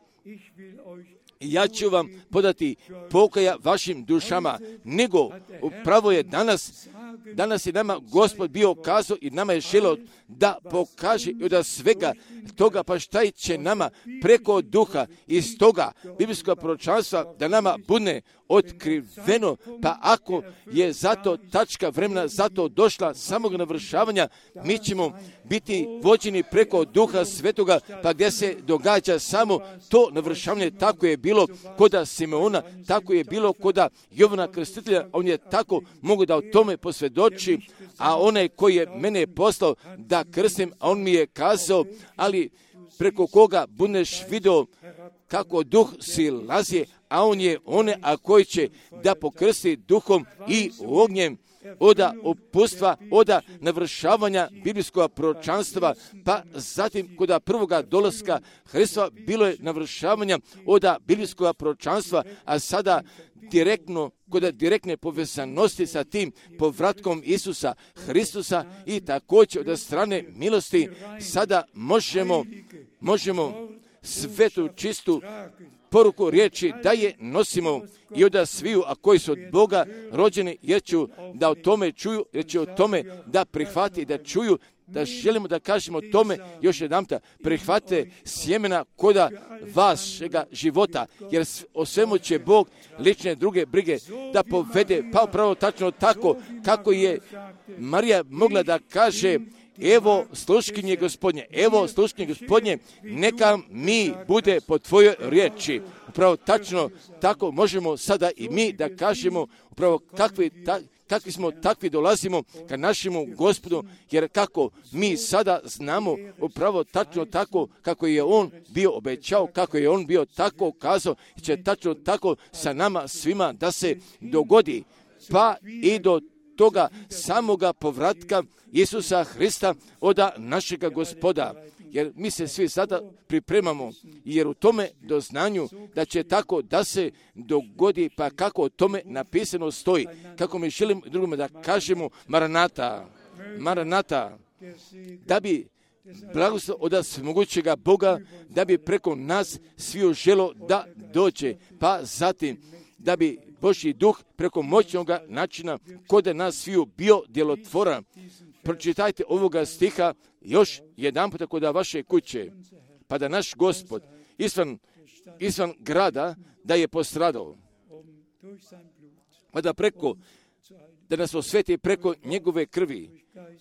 Ja ću vam podati pokaja vašim dušama, nego upravo je danas, danas je nama Gospod bio kazao i nama je želio da pokaže i od svega toga, pa šta će nama preko duha iz toga biblijskog proročanstva da nama bude otkriveno, pa ako je zato tačka vremena zato došla samog navršavanja, mi ćemo biti vođeni preko duha svetoga, pa gdje se događa samo to navršavanje, tako je bilo koda Simeona, tako je bilo koda Jovana Krstitelja, on je tako mogu da o tome posvjedoči, a onaj koji je mene poslao da krstim, a on mi je kazao, ali preko koga budeš video kako duh silazi, a on je one, a koji će da pokrsti duhom i ognjem, oda opustva, oda navršavanja biblijskog proročanstva, pa zatim kod prvoga dolaska Hristova bilo je navršavanja oda biblijskog proročanstva, a sada direktno, kod direktne povezanosti sa tim povratkom Isusa Hristusa i također od strane milosti sada možemo, možemo svetu čistu poruku riječi da je nosimo i od sviju, a koji su od Boga rođeni, jer ću da o tome čuju, jer će o tome da prihvati, da čuju, da želimo da kažemo tome još jedanputa, prihvate sjemena koda vašega života, jer o svemu će Bog lične druge brige da povede, pa upravo tačno tako kako je Marija mogla da kaže, evo sluškinje Gospodnje, evo sluškinje Gospodnje, neka mi bude po tvojoj riječi. Upravo tačno tako možemo sada i mi da kažemo upravo kakvi, ta, kakvi smo, takvi dolazimo ka našemu Gospodu, jer kako mi sada znamo upravo tačno tako kako je on bio obećao, kako je on bio tako kazao, će tačno tako sa nama svima da se dogodi, pa i do toga samoga povratka Isusa Hrista oda našega Gospoda. Jer mi se svi sada pripremamo, jer u tome doznanju da će tako da se dogodi, pa kako o tome napisano stoji. Kako mi želimo drugome da kažemo Maranata, Maranata, da bi blagoslov od svemogućega Boga, da bi preko nas sviju želo da dođe, pa zatim da bi Božji duh preko moćnog načina kod nas sviju bio djelotvoran. pročitajte ovoga stiha još jedan puta kod vaše kuće, pa da naš Gospod izvan, izvan grada da je postradao, pa da preko, da nas osveti preko njegove krvi,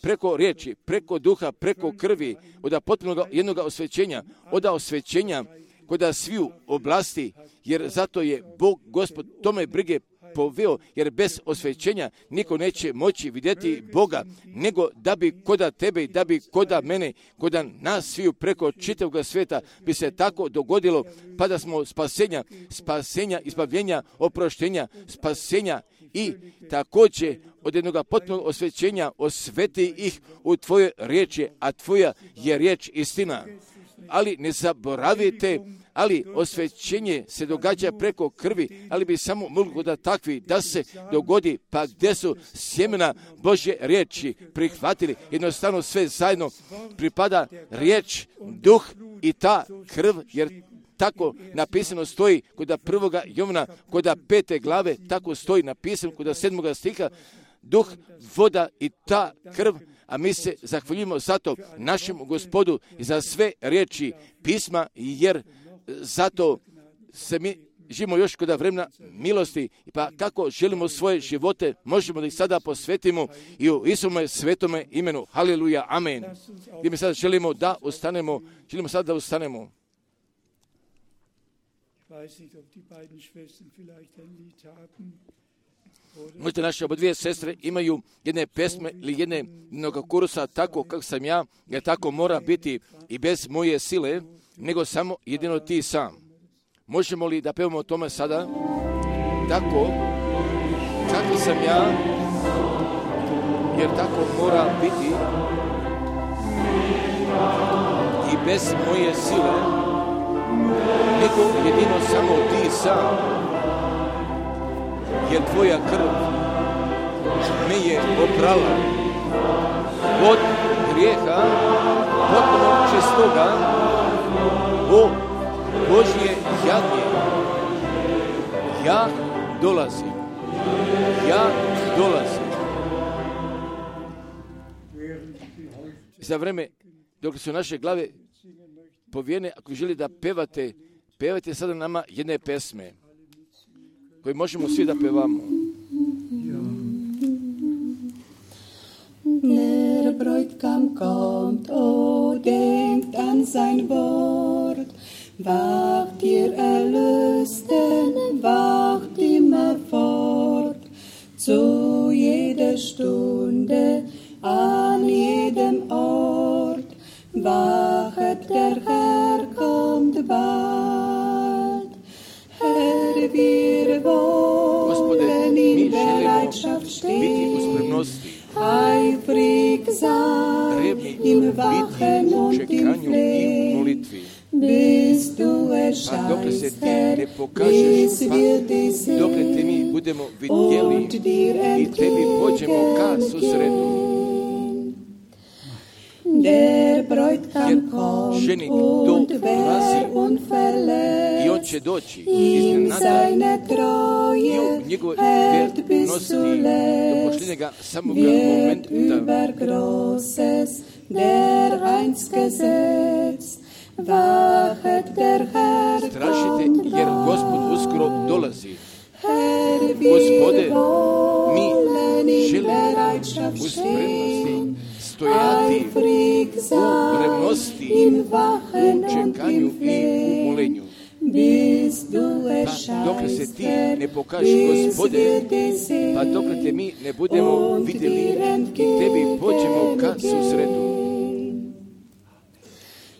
preko riječi, preko duha, preko krvi, od potpunog jednog osvećenja, od osvećenja kod sviju oblasti, jer zato je Bog, Gospod, tome brige poveo, jer bez osvećenja niko neće moći vidjeti Boga, nego da bi koda tebe i da bi koda mene, koda nas sviju preko čitavog svijeta bi se tako dogodilo, pa da smo spasenja, spasenja, izbavljenja, oproštenja, spasenja i također od jednog potpunog osvećenja osveti ih u tvoje riječi, a tvoja je riječ istina. Ali ne zaboravite, ali osvećenje se događa preko krvi, ali bi samo moglo da takvi da se dogodi, pa gdje su sjemena Božje riječi prihvatili, jednostavno sve zajedno pripada riječ, duh i ta krv, jer tako napisano stoji kod prvoga Jovana, kod pete glave, tako stoji napisano kod sedmoga stiha, duh, voda i ta krv. A mi se zahvaljujemo zato našem Gospodu i za sve riječi pisma, jer zato se mi živimo još kod vremena milosti, pa kako želimo svoje živote, možemo da ih sada posvetimo i u Isuvome svetome imenu. Haleluja, amen. Gdje mi sada želimo da ustanemo, želimo sada da ustanemo. Možda naše oba dvije sestre imaju jedne pesme ili jedne jednog kursa tako kako sam ja, jer tako mora biti i bez moje sile, nego samo jedino ti sam. Možemo li da pevamo o tome sada? Tako, kako sam ja, jer tako mora biti i bez moje sile, nego jedino samo ti sam. Jer tvoja krv me je oprala od grijeha, potpuno čistoga, o Božje jadnje. Ja dolazim, ja dolazim. Za vreme dok su naše glave povijene, ako želi da pevate, pevajte sada nama jedne pesme koji možemo svi da pevamo. Der Bräutigam kommt, o denkt an sein Wort. Wacht ihr Erlösten, wacht immer fort. Zu jeder Stunde, an jedem Ort. Wachet, der Herr kommt bald. Herr, wir wollen in Bereitschaft stehen, eifrig sein, im Wachen und im Flehen, bis du erscheinst, Herr, bis wir dich sehen und dir entgegengehen. Der Bräutigam kommt und wer unverletzt ihm seine Treue hält bis zuletzt, wird über Großes dereinst gesetzt. Wachet, der Herr kommt bald. Herr, wir wollen in Bereitschaft stehen, eifrig sein, im Wachen und im Flehen, bis du erscheinst, Herr, bis wir dich sehen und dir entgegengehen.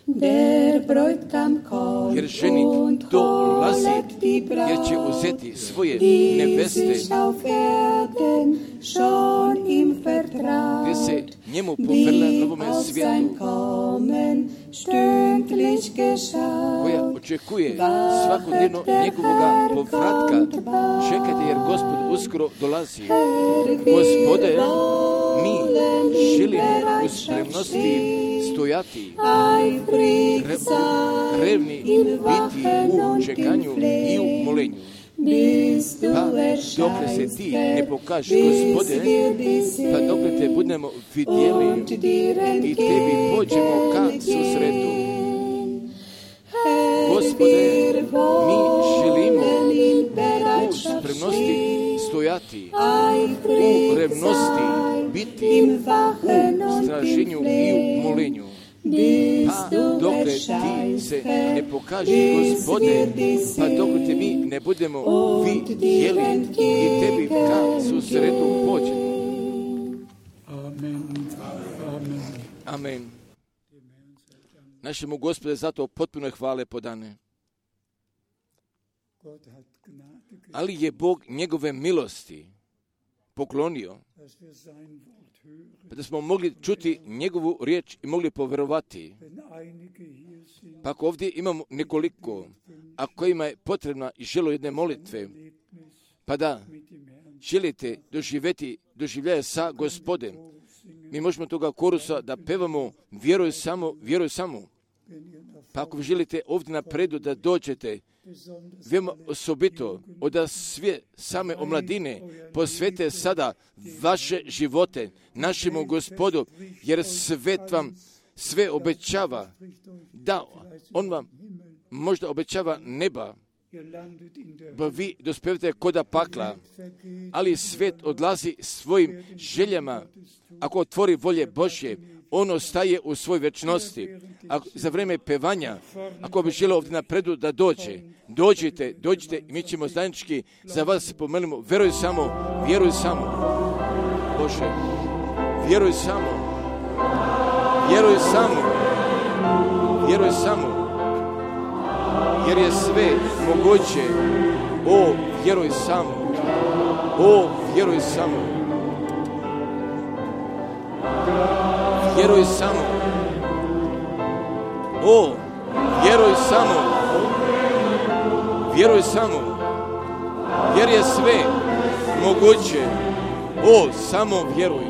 Der Bräutigam kommt und holet die Braut, die sich auf Erden schon ihm vertraut, die auf sein Kommen stündlich geschaut. Wachet, der Herr kommt bald. Gospode, mi želimo u spremnosti stojati, revni biti u čekanju i u molenju. Pa dokle se ti ne pokažeš, Gospode, pa dokle te budemo vidjeli i tebi pođemo ka susretu. Gospode, mi želimo u spremnosti stojati, u revnosti biti, u straženju i u molenju. Pa dokle ti se ne pokažeš, Gospode, pa dokle te mi ne budemo vidjeli i tebi ka susretu pođemo. Amen. Našemu Gospode zato potpuno hvale podane. Ali je Bog njegove milosti poklonio, pa da smo mogli čuti njegovu riječ i mogli povjerovati. Pa ako ovdje imamo nekoliko, a kojima je potrebna i želo jedne molitve, pa da želite doživjeti doživljaje sa Gospodem, mi možemo toga korusa da pevamo vjeruj samo, vjeruj samo. Pa ako želite ovdje napredu da dođete, veoma osobito od sve same omladine posvete sada vaše živote našemu Gospodu, jer svet vam sve obećava, da on vam možda obećava neba, pa vi dospevate koda pakla, ali svet odlazi svojim željama. Ako otvori volje Božje, on ostaje u svoj večnosti. Ako, za vrijeme pevanja, ako bi želio ovdje napredu da dođe, dođite, dođite i mi ćemo zajednički za vas pomelimo. Vjeruj samo, vjeruj samo. Bože, vjeruj samo, vjeruj samo, vjeruj samo, jer je sve moguće. O, vjeruj samo, o, vjeruj samo. Vjeruj samo. O, vjeruj samo. Vjeruj samo. Jer je sve moguće. O, samo vjeruj.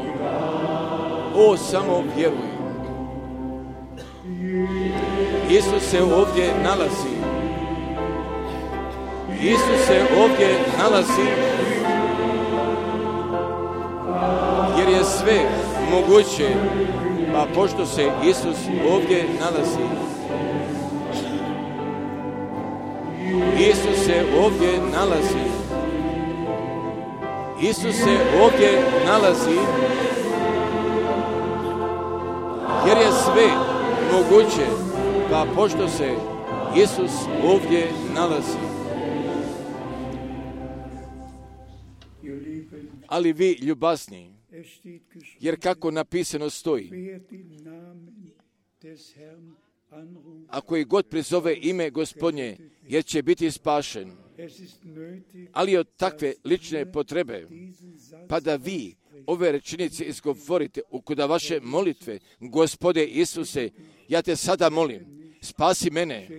O, samo vjeruj. Isus se ovdje nalazi. Isus se ovdje nalazi. Jer je sve moguće, pa pošto se Isus ovdje nalazi, Isus se ovdje nalazi, Isus se ovdje nalazi, jer je sve moguće, pa pošto se Isus ovdje nalazi. Ali vi, ljubazni, jer kako napisano stoji, ako i god prizove ime Gospodnje, jer će biti spašen. Ali od takve lične potrebe, pa da vi ove rečenice izgovorite ukuda vaše molitve, Gospode Isuse, ja te sada molim, spasi mene,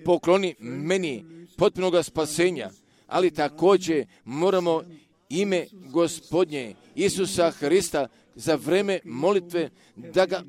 pokloni meni potpunoga spasenja, ali također moramo ime Gospodnje Isusa Hrista za vreme molitve da ga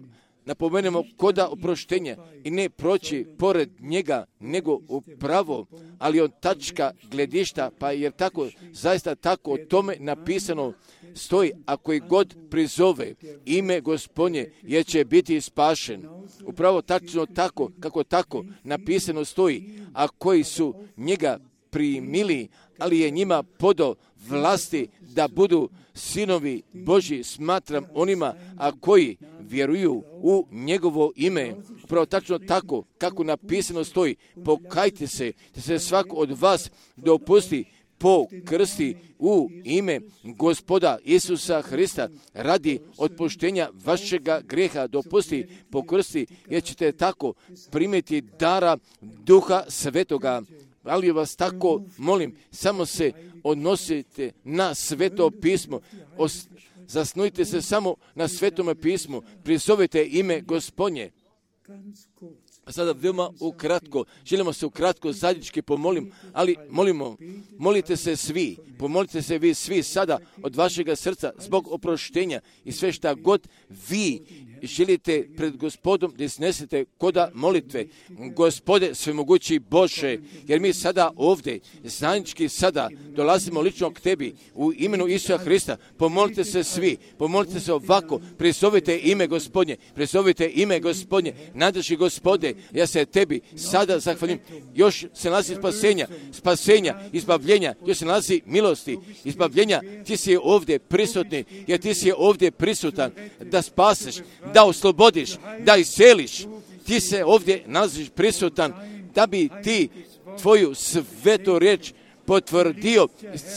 napomenemo koda oproštenja i ne proći pored njega, nego upravo, ali on tačka gledišta, pa jer tako, zaista tako o tome napisano stoji, ako i god prizove ime Gospodnje, jer će biti spašen. Upravo tačno tako, kako tako napisano stoji, a koji su njega primili, ali je njima podao vlasti da budu sinovi Božji, smatram onima, a koji vjeruju u njegovo ime. Upravo tačno tako, kako napisano stoji, pokajte se, da se svako od vas dopusti po krsti u ime Gospoda Isusa Hrista radi otpuštenja vašega grijeha, dopusti po krsti, jer ćete tako primiti dara Duha Svetoga. Ali vas tako molim, samo se odnosite na Sveto pismo, Os, zasnujte se samo na Svetome pismu, prizovite ime Gospodnje. A sada veoma ukratko, želimo se ukratko zajednički pomolim, ali molimo, molite se svi, pomolite se vi svi sada od vašega srca zbog oproštenja i sve šta god vi želite pred Gospodom da iznesete koda molitve, Gospode svemogući Bože, jer mi sada ovdje, zajednički sada, dolazimo lično k Tebi u imenu Isusa Hrista. Pomolite se svi, pomolite se ovako, prizovite ime Gospodnje, prizovite ime Gospodnje, nadrži Gospode, ja se Tebi sada zahvalim. Još se nalazi spasenja, spasenja, izbavljenja, još se nalazi milosti, izbavljenja. Ti si ovdje prisutni, jer ti si ovdje prisutan da spaseš, da oslobodiš, da isceliš. Ti se ovdje nalaziš prisutan da bi ti tvoju svetu riječ potvrdio.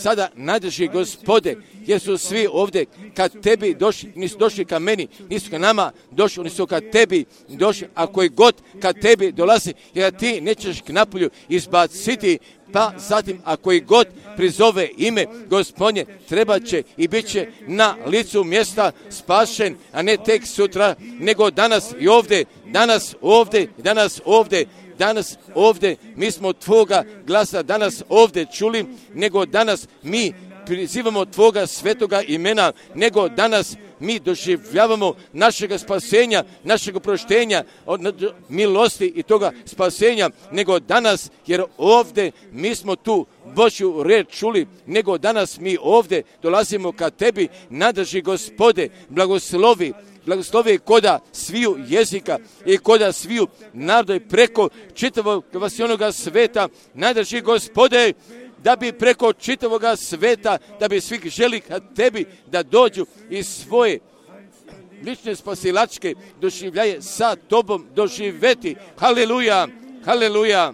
Sada nadrži Gospode, jer su svi ovdje kad Tebi došli, nisu došli ka meni, nisu ka nama došli, oni su kad Tebi došli, a koji god kad Tebi dolazi, jer ti nećeš k napolju izbaciti, pa zatim a koji god prizove ime Gospodnje, treba će i bit će na licu mjesta spašen, a ne tek sutra, nego danas i ovdje, danas ovdje, danas ovdje, danas ovdje, mi smo Tvoga glasa danas ovdje čuli, nego danas mi prizivamo Tvoga svetoga imena, nego danas mi doživljavamo našega spasenja, našeg oproštenja, od milosti i toga spasenja, nego danas, jer ovdje mi smo tu Božju riječ čuli, nego danas mi ovdje dolazimo ka Tebi, nadrži Gospode, blagoslovi, blagoslovi koda sviju jezika i koda sviju naroda i preko čitavog vasionoga sveta, nadrži Gospode, da bi preko čitavoga sveta, da bi svih želi ka Tebi da dođu i svoje lične spasilačke doživljaje sa Tobom doživeti. Haleluja, haleluja.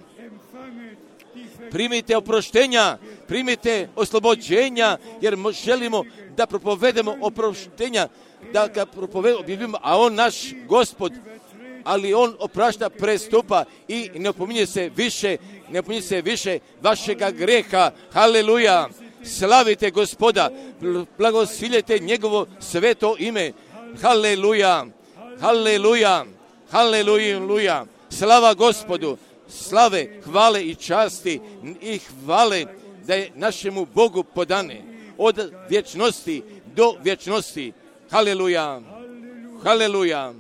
Primite oproštenja, primite oslobođenja, jer želimo da propovedemo oproštenja, da ga propovedemo, a on naš Gospod, ali on oprašta prestupa i ne opominje se više, ne opominje se više vašega greha. Haleluja. Slavite Gospoda, blagosiljete njegovo sveto ime. Haleluja. Haleluja. Haleluja. Slava Gospodu. Slave, hvale i časti i hvale da je našemu Bogu podane od vječnosti do vječnosti. Haleluja. Haleluja.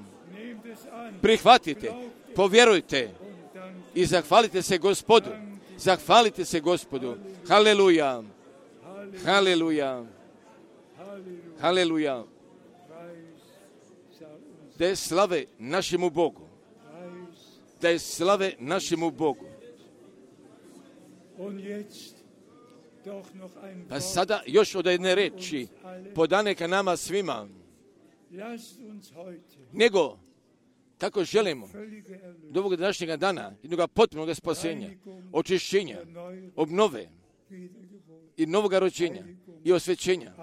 Prihvatite, povjerujte i zahvalite se Gospodu. Zahvalite se Gospodu. Haleluja. Haleluja. Haleluja. Da je slave našemu Bogu. Da je slave našemu Bogu. Pa sada još od jedne reči podane ka nama svima. Nego kako želimo do ovog današnjega dana, jednog potpunog spasenja, očišćenja, obnove i novoga rođenja i osvećenja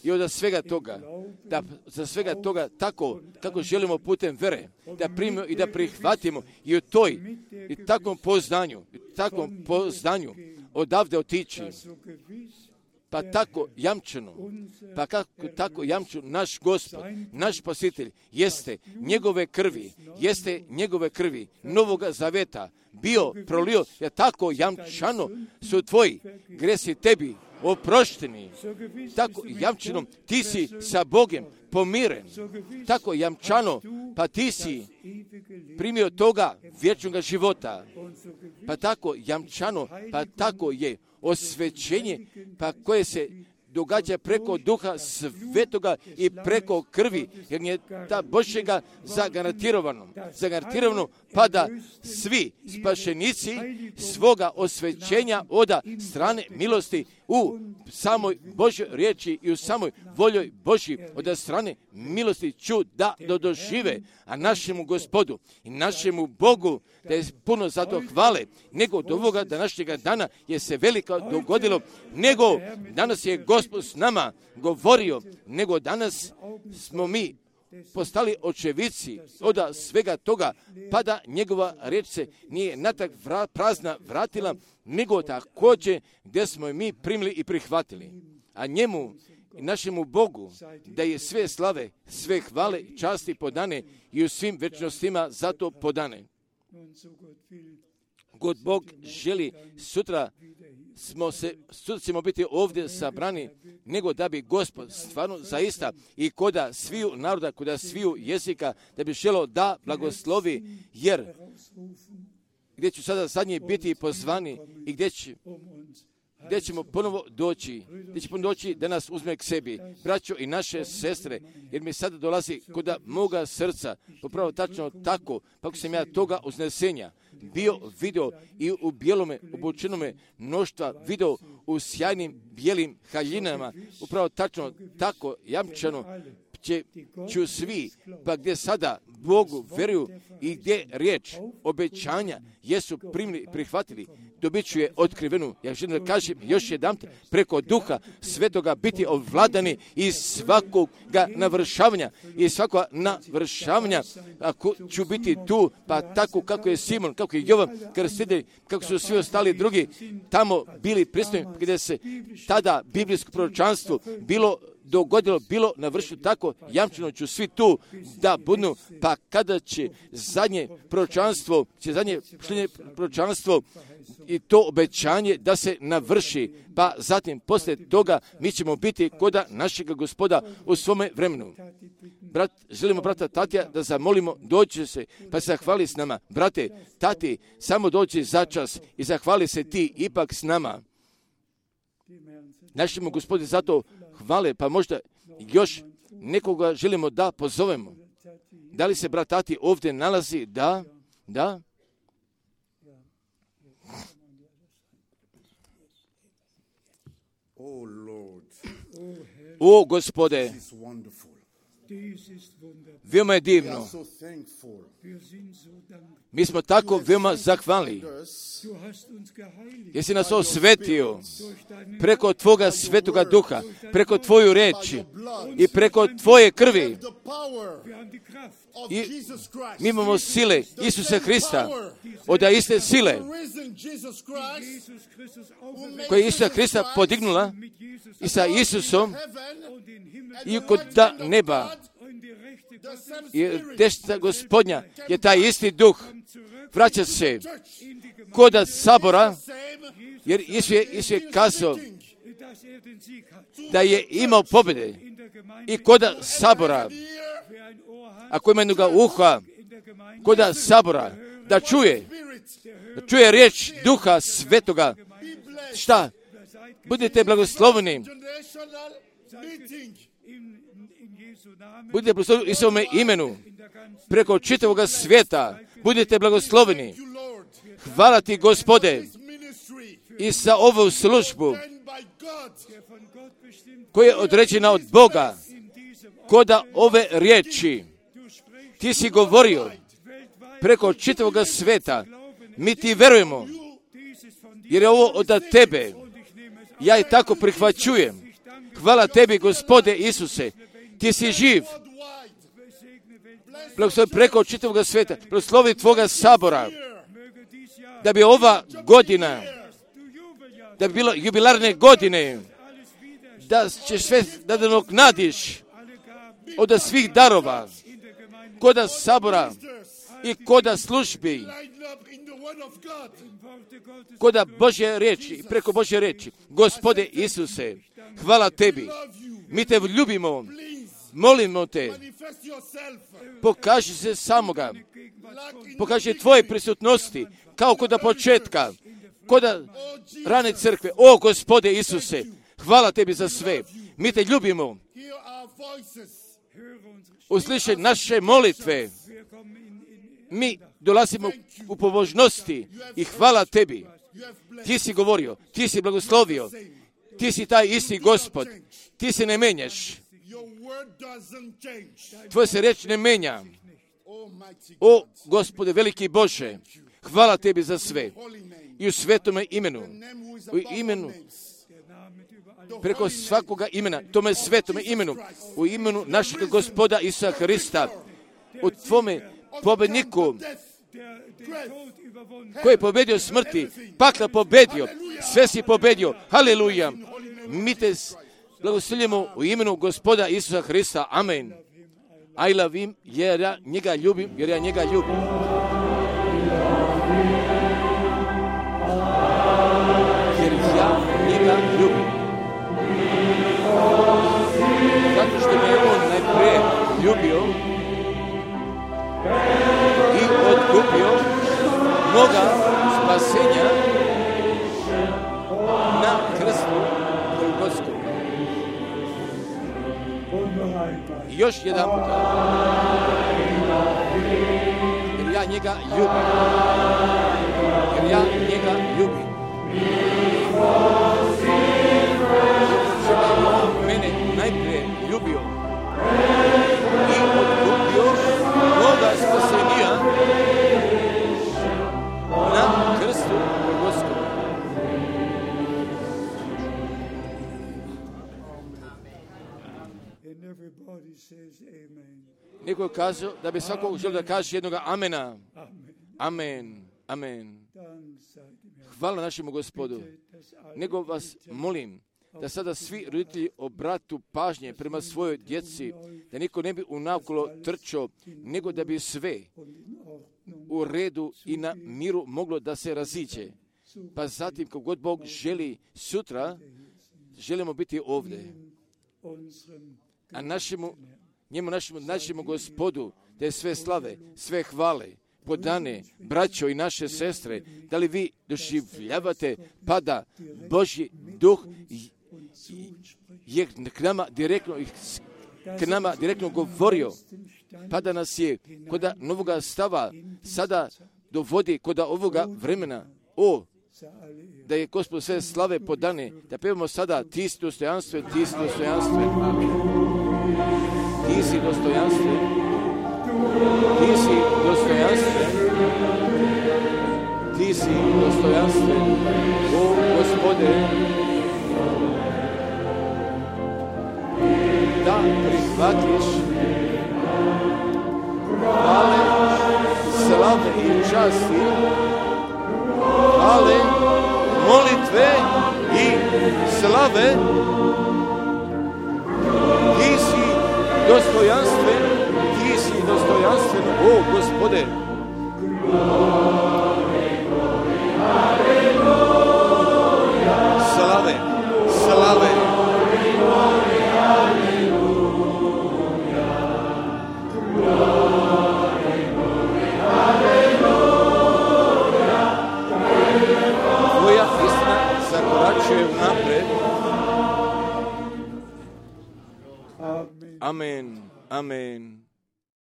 i od svega toga, da za svega toga tako kako želimo putem vere, da primimo i da prihvatimo i u toj i takvom poznanju, i takvom poznanju odavde otići, pa tako jamčeno, pa kako tako jamču naš Gospod, naš Spasitelj, jeste njegove krvi, jeste njegove krvi, novoga zaveta, bio prolio, jer tako jamčano su tvoji gresi tebi oprošteni, tako jamčeno ti si sa Bogem pomiren, tako jamčano, pa ti si primio toga vječnog života, pa tako jamčano, pa tako je osvećenje, pa koje se događa preko Duha Svetoga i preko krvi, jer je ta Božjega zagarantirano, zagarantirano, pa da svi spašenici svoga osvećenja oda strane milosti u samoj Božjoj riječi i u samoj voljoj Božji od strane milosti ću da dožive, a našemu Gospodu i našemu Bogu da je puno zato hvale, nego do ovoga današnjega dana je se veliko dogodilo, nego danas je Gospod s nama govorio, nego danas smo mi postali očevici od svega toga, pa da njegova riječ se nije natak vra, prazna vratila, nego također gdje smo mi primili i prihvatili. A njemu i našemu Bogu da je sve slave, sve hvale, časti podane i u svim večnostima zato podane. God Bog želi sutra smo se, sutra ćemo biti ovdje sabrani, nego da bi Gospod stvarno zaista i koda sviju naroda, koda sviju jezika, da bi želo da blagoslovi, jer gdje ću sada zadnji biti pozvani i gdje, će, gdje ćemo ponovo doći, gdje će ponovo doći da nas uzme k sebi, braćo i naše sestre, jer mi sada dolazi koda moga srca, popravo tačno tako, pa ako sam ja toga uznesenja bio video i u bijelome obučenome mnoštva video u sjajnim bijelim haljinama, upravo tačno tako jamčano će ću svi, pa gdje sada Bogu veruju i gdje riječ obećanja jesu primili, prihvatili, dobit ću je otkrivenu. Ja želim da kažem još jedan preko Duha Svetoga biti ovladani iz svakoga navršavanja, iz svakoga navršavanja, ako ću biti tu, pa tako kako je Simon, kako je Jovan krstitelj, kako su svi ostali drugi tamo bili prisutni, gdje se tada biblijsko proročanstvo bilo dogodilo, bilo navršeno tako, jamčeno ću svi tu da budu, pa kada će zadnje proročanstvo, će zadnje proročanstvo i to obećanje da se navrši, pa zatim poslije toga mi ćemo biti koda našega Gospoda u svome vremenu. Brat, želimo brata Tatija da zamolimo, dođe se, pa se zahvali s nama. Brate, Tati, samo dođi za čas i zahvali se ti ipak s nama. Našemu Gospodinu zato hvale, pa možda još nekoga želimo da pozovemo. Da li se brat Tati ovdje nalazi? Da, da. O Gospode, veoma je divno. Mi smo tako veoma zahvalni. Jesi nas osvetio preko Tvoga Svetoga Duha, preko Tvoju reči i preko Tvoje krvi. I mi imamo sile Isusa Hrista, od iste sile koja je Isusa Hrista podignula i sa Isusom i kod neba. Jer desnica Gospodnja je taj isti duh. Vraća se koda sabora, jer Isus je, Isus je kazao da je imao pobjede i koda sabora. Ako ima jednoga uha, koda sabora, da čuje, da čuje riječ Duha Svetoga. Šta? Budite blagosloveni. Budite blagosloveni u svome imenu, preko čitavoga svijeta. Budite blagosloveni. Hvala ti, Gospode, i za ovu službu koja je određena od Boga, koda ove riječi. Ti si govorio preko čitavoga svijeta. Mi ti verujemo, jer je ovo od tebe. Ja i tako prihvaćujem. Hvala tebi, Gospode Isuse. Ti si živ. Blagoslovi preko čitavoga svijeta. Blagoslovi Tvoga sabora. Da bi ova godina, da bi bilo jubilarne godine, da ćeš sve da nadoknadiš od svih darova, koda sabora i koda službi, koda Božje riječi, preko Božje riječi. Gospode Isuse, hvala tebi. Mi te ljubimo. Molimo te, pokaži se samoga, pokaži tvoje prisutnosti, kao kod početka, kod rane crkve. O Gospode Isuse, hvala tebi za sve. Mi te ljubimo. Uslišaj naše molitve. Mi dolazimo u pobožnosti i hvala tebi. Ti si govorio, ti si blagoslovio, ti si taj isti Gospod, ti se ne menjaš. Tvoja se riječ ne menja. O Gospode, veliki Bože, hvala tebi za sve. I u svetome imenu, u imenu, preko svakoga imena, tome svetome imenu, u imenu našeg Gospoda Isusa Hrista, u tvome pobedniku, koji je pobedio smrti, pakla pobedio, sve si pobedio. Haleluja. Mi te blagoslovljamo u imenu Gospoda Isusa Hrista. Amen. I love him, jer ja njega ljubim, jer ja njega ljubim. moga spasenja na krstu Golgotskom. I još jedan puta. Jer ja njega ljubim. Jer ja njega ljubim. Jer on mene najprije ljubio i odkupio moga spasenja na krstu Golgotskom. Neko kaže da bi svakog želio da kaže jednoga amena. Amen. Amen. Hvala našemu Gospodu. Nego vas molim da sada svi roditelji obratu pažnje prema svojoj djeci, da niko ne bi unavkolo trčao, nego da bi sve u redu i na miru moglo da se raziđe. Pa zatim, kako god Bog želi, sutra želimo biti ovdje. A našemu, njemu, našemu, našemu Gospodu, da je sve slave, sve hvale, podane, braćo i naše sestre, da li vi doživljavate pada Božji duh je k nama direktno, k nama direktno govorio, pa da nas je kod novoga stava sada dovodi kod ovoga vremena. O, da je Gospod sve slave podane, da pevamo sada ti si dostojanstven, ti si dostojanstven, ti si dostojanstven, ti si dostojanstven, ti si dostojanstven, o Gospode, da prihvatiš hvale, slave i časti, hvale, molitve i slave. Ti si dostojanstven, ti si dostojanstven, o Gospode.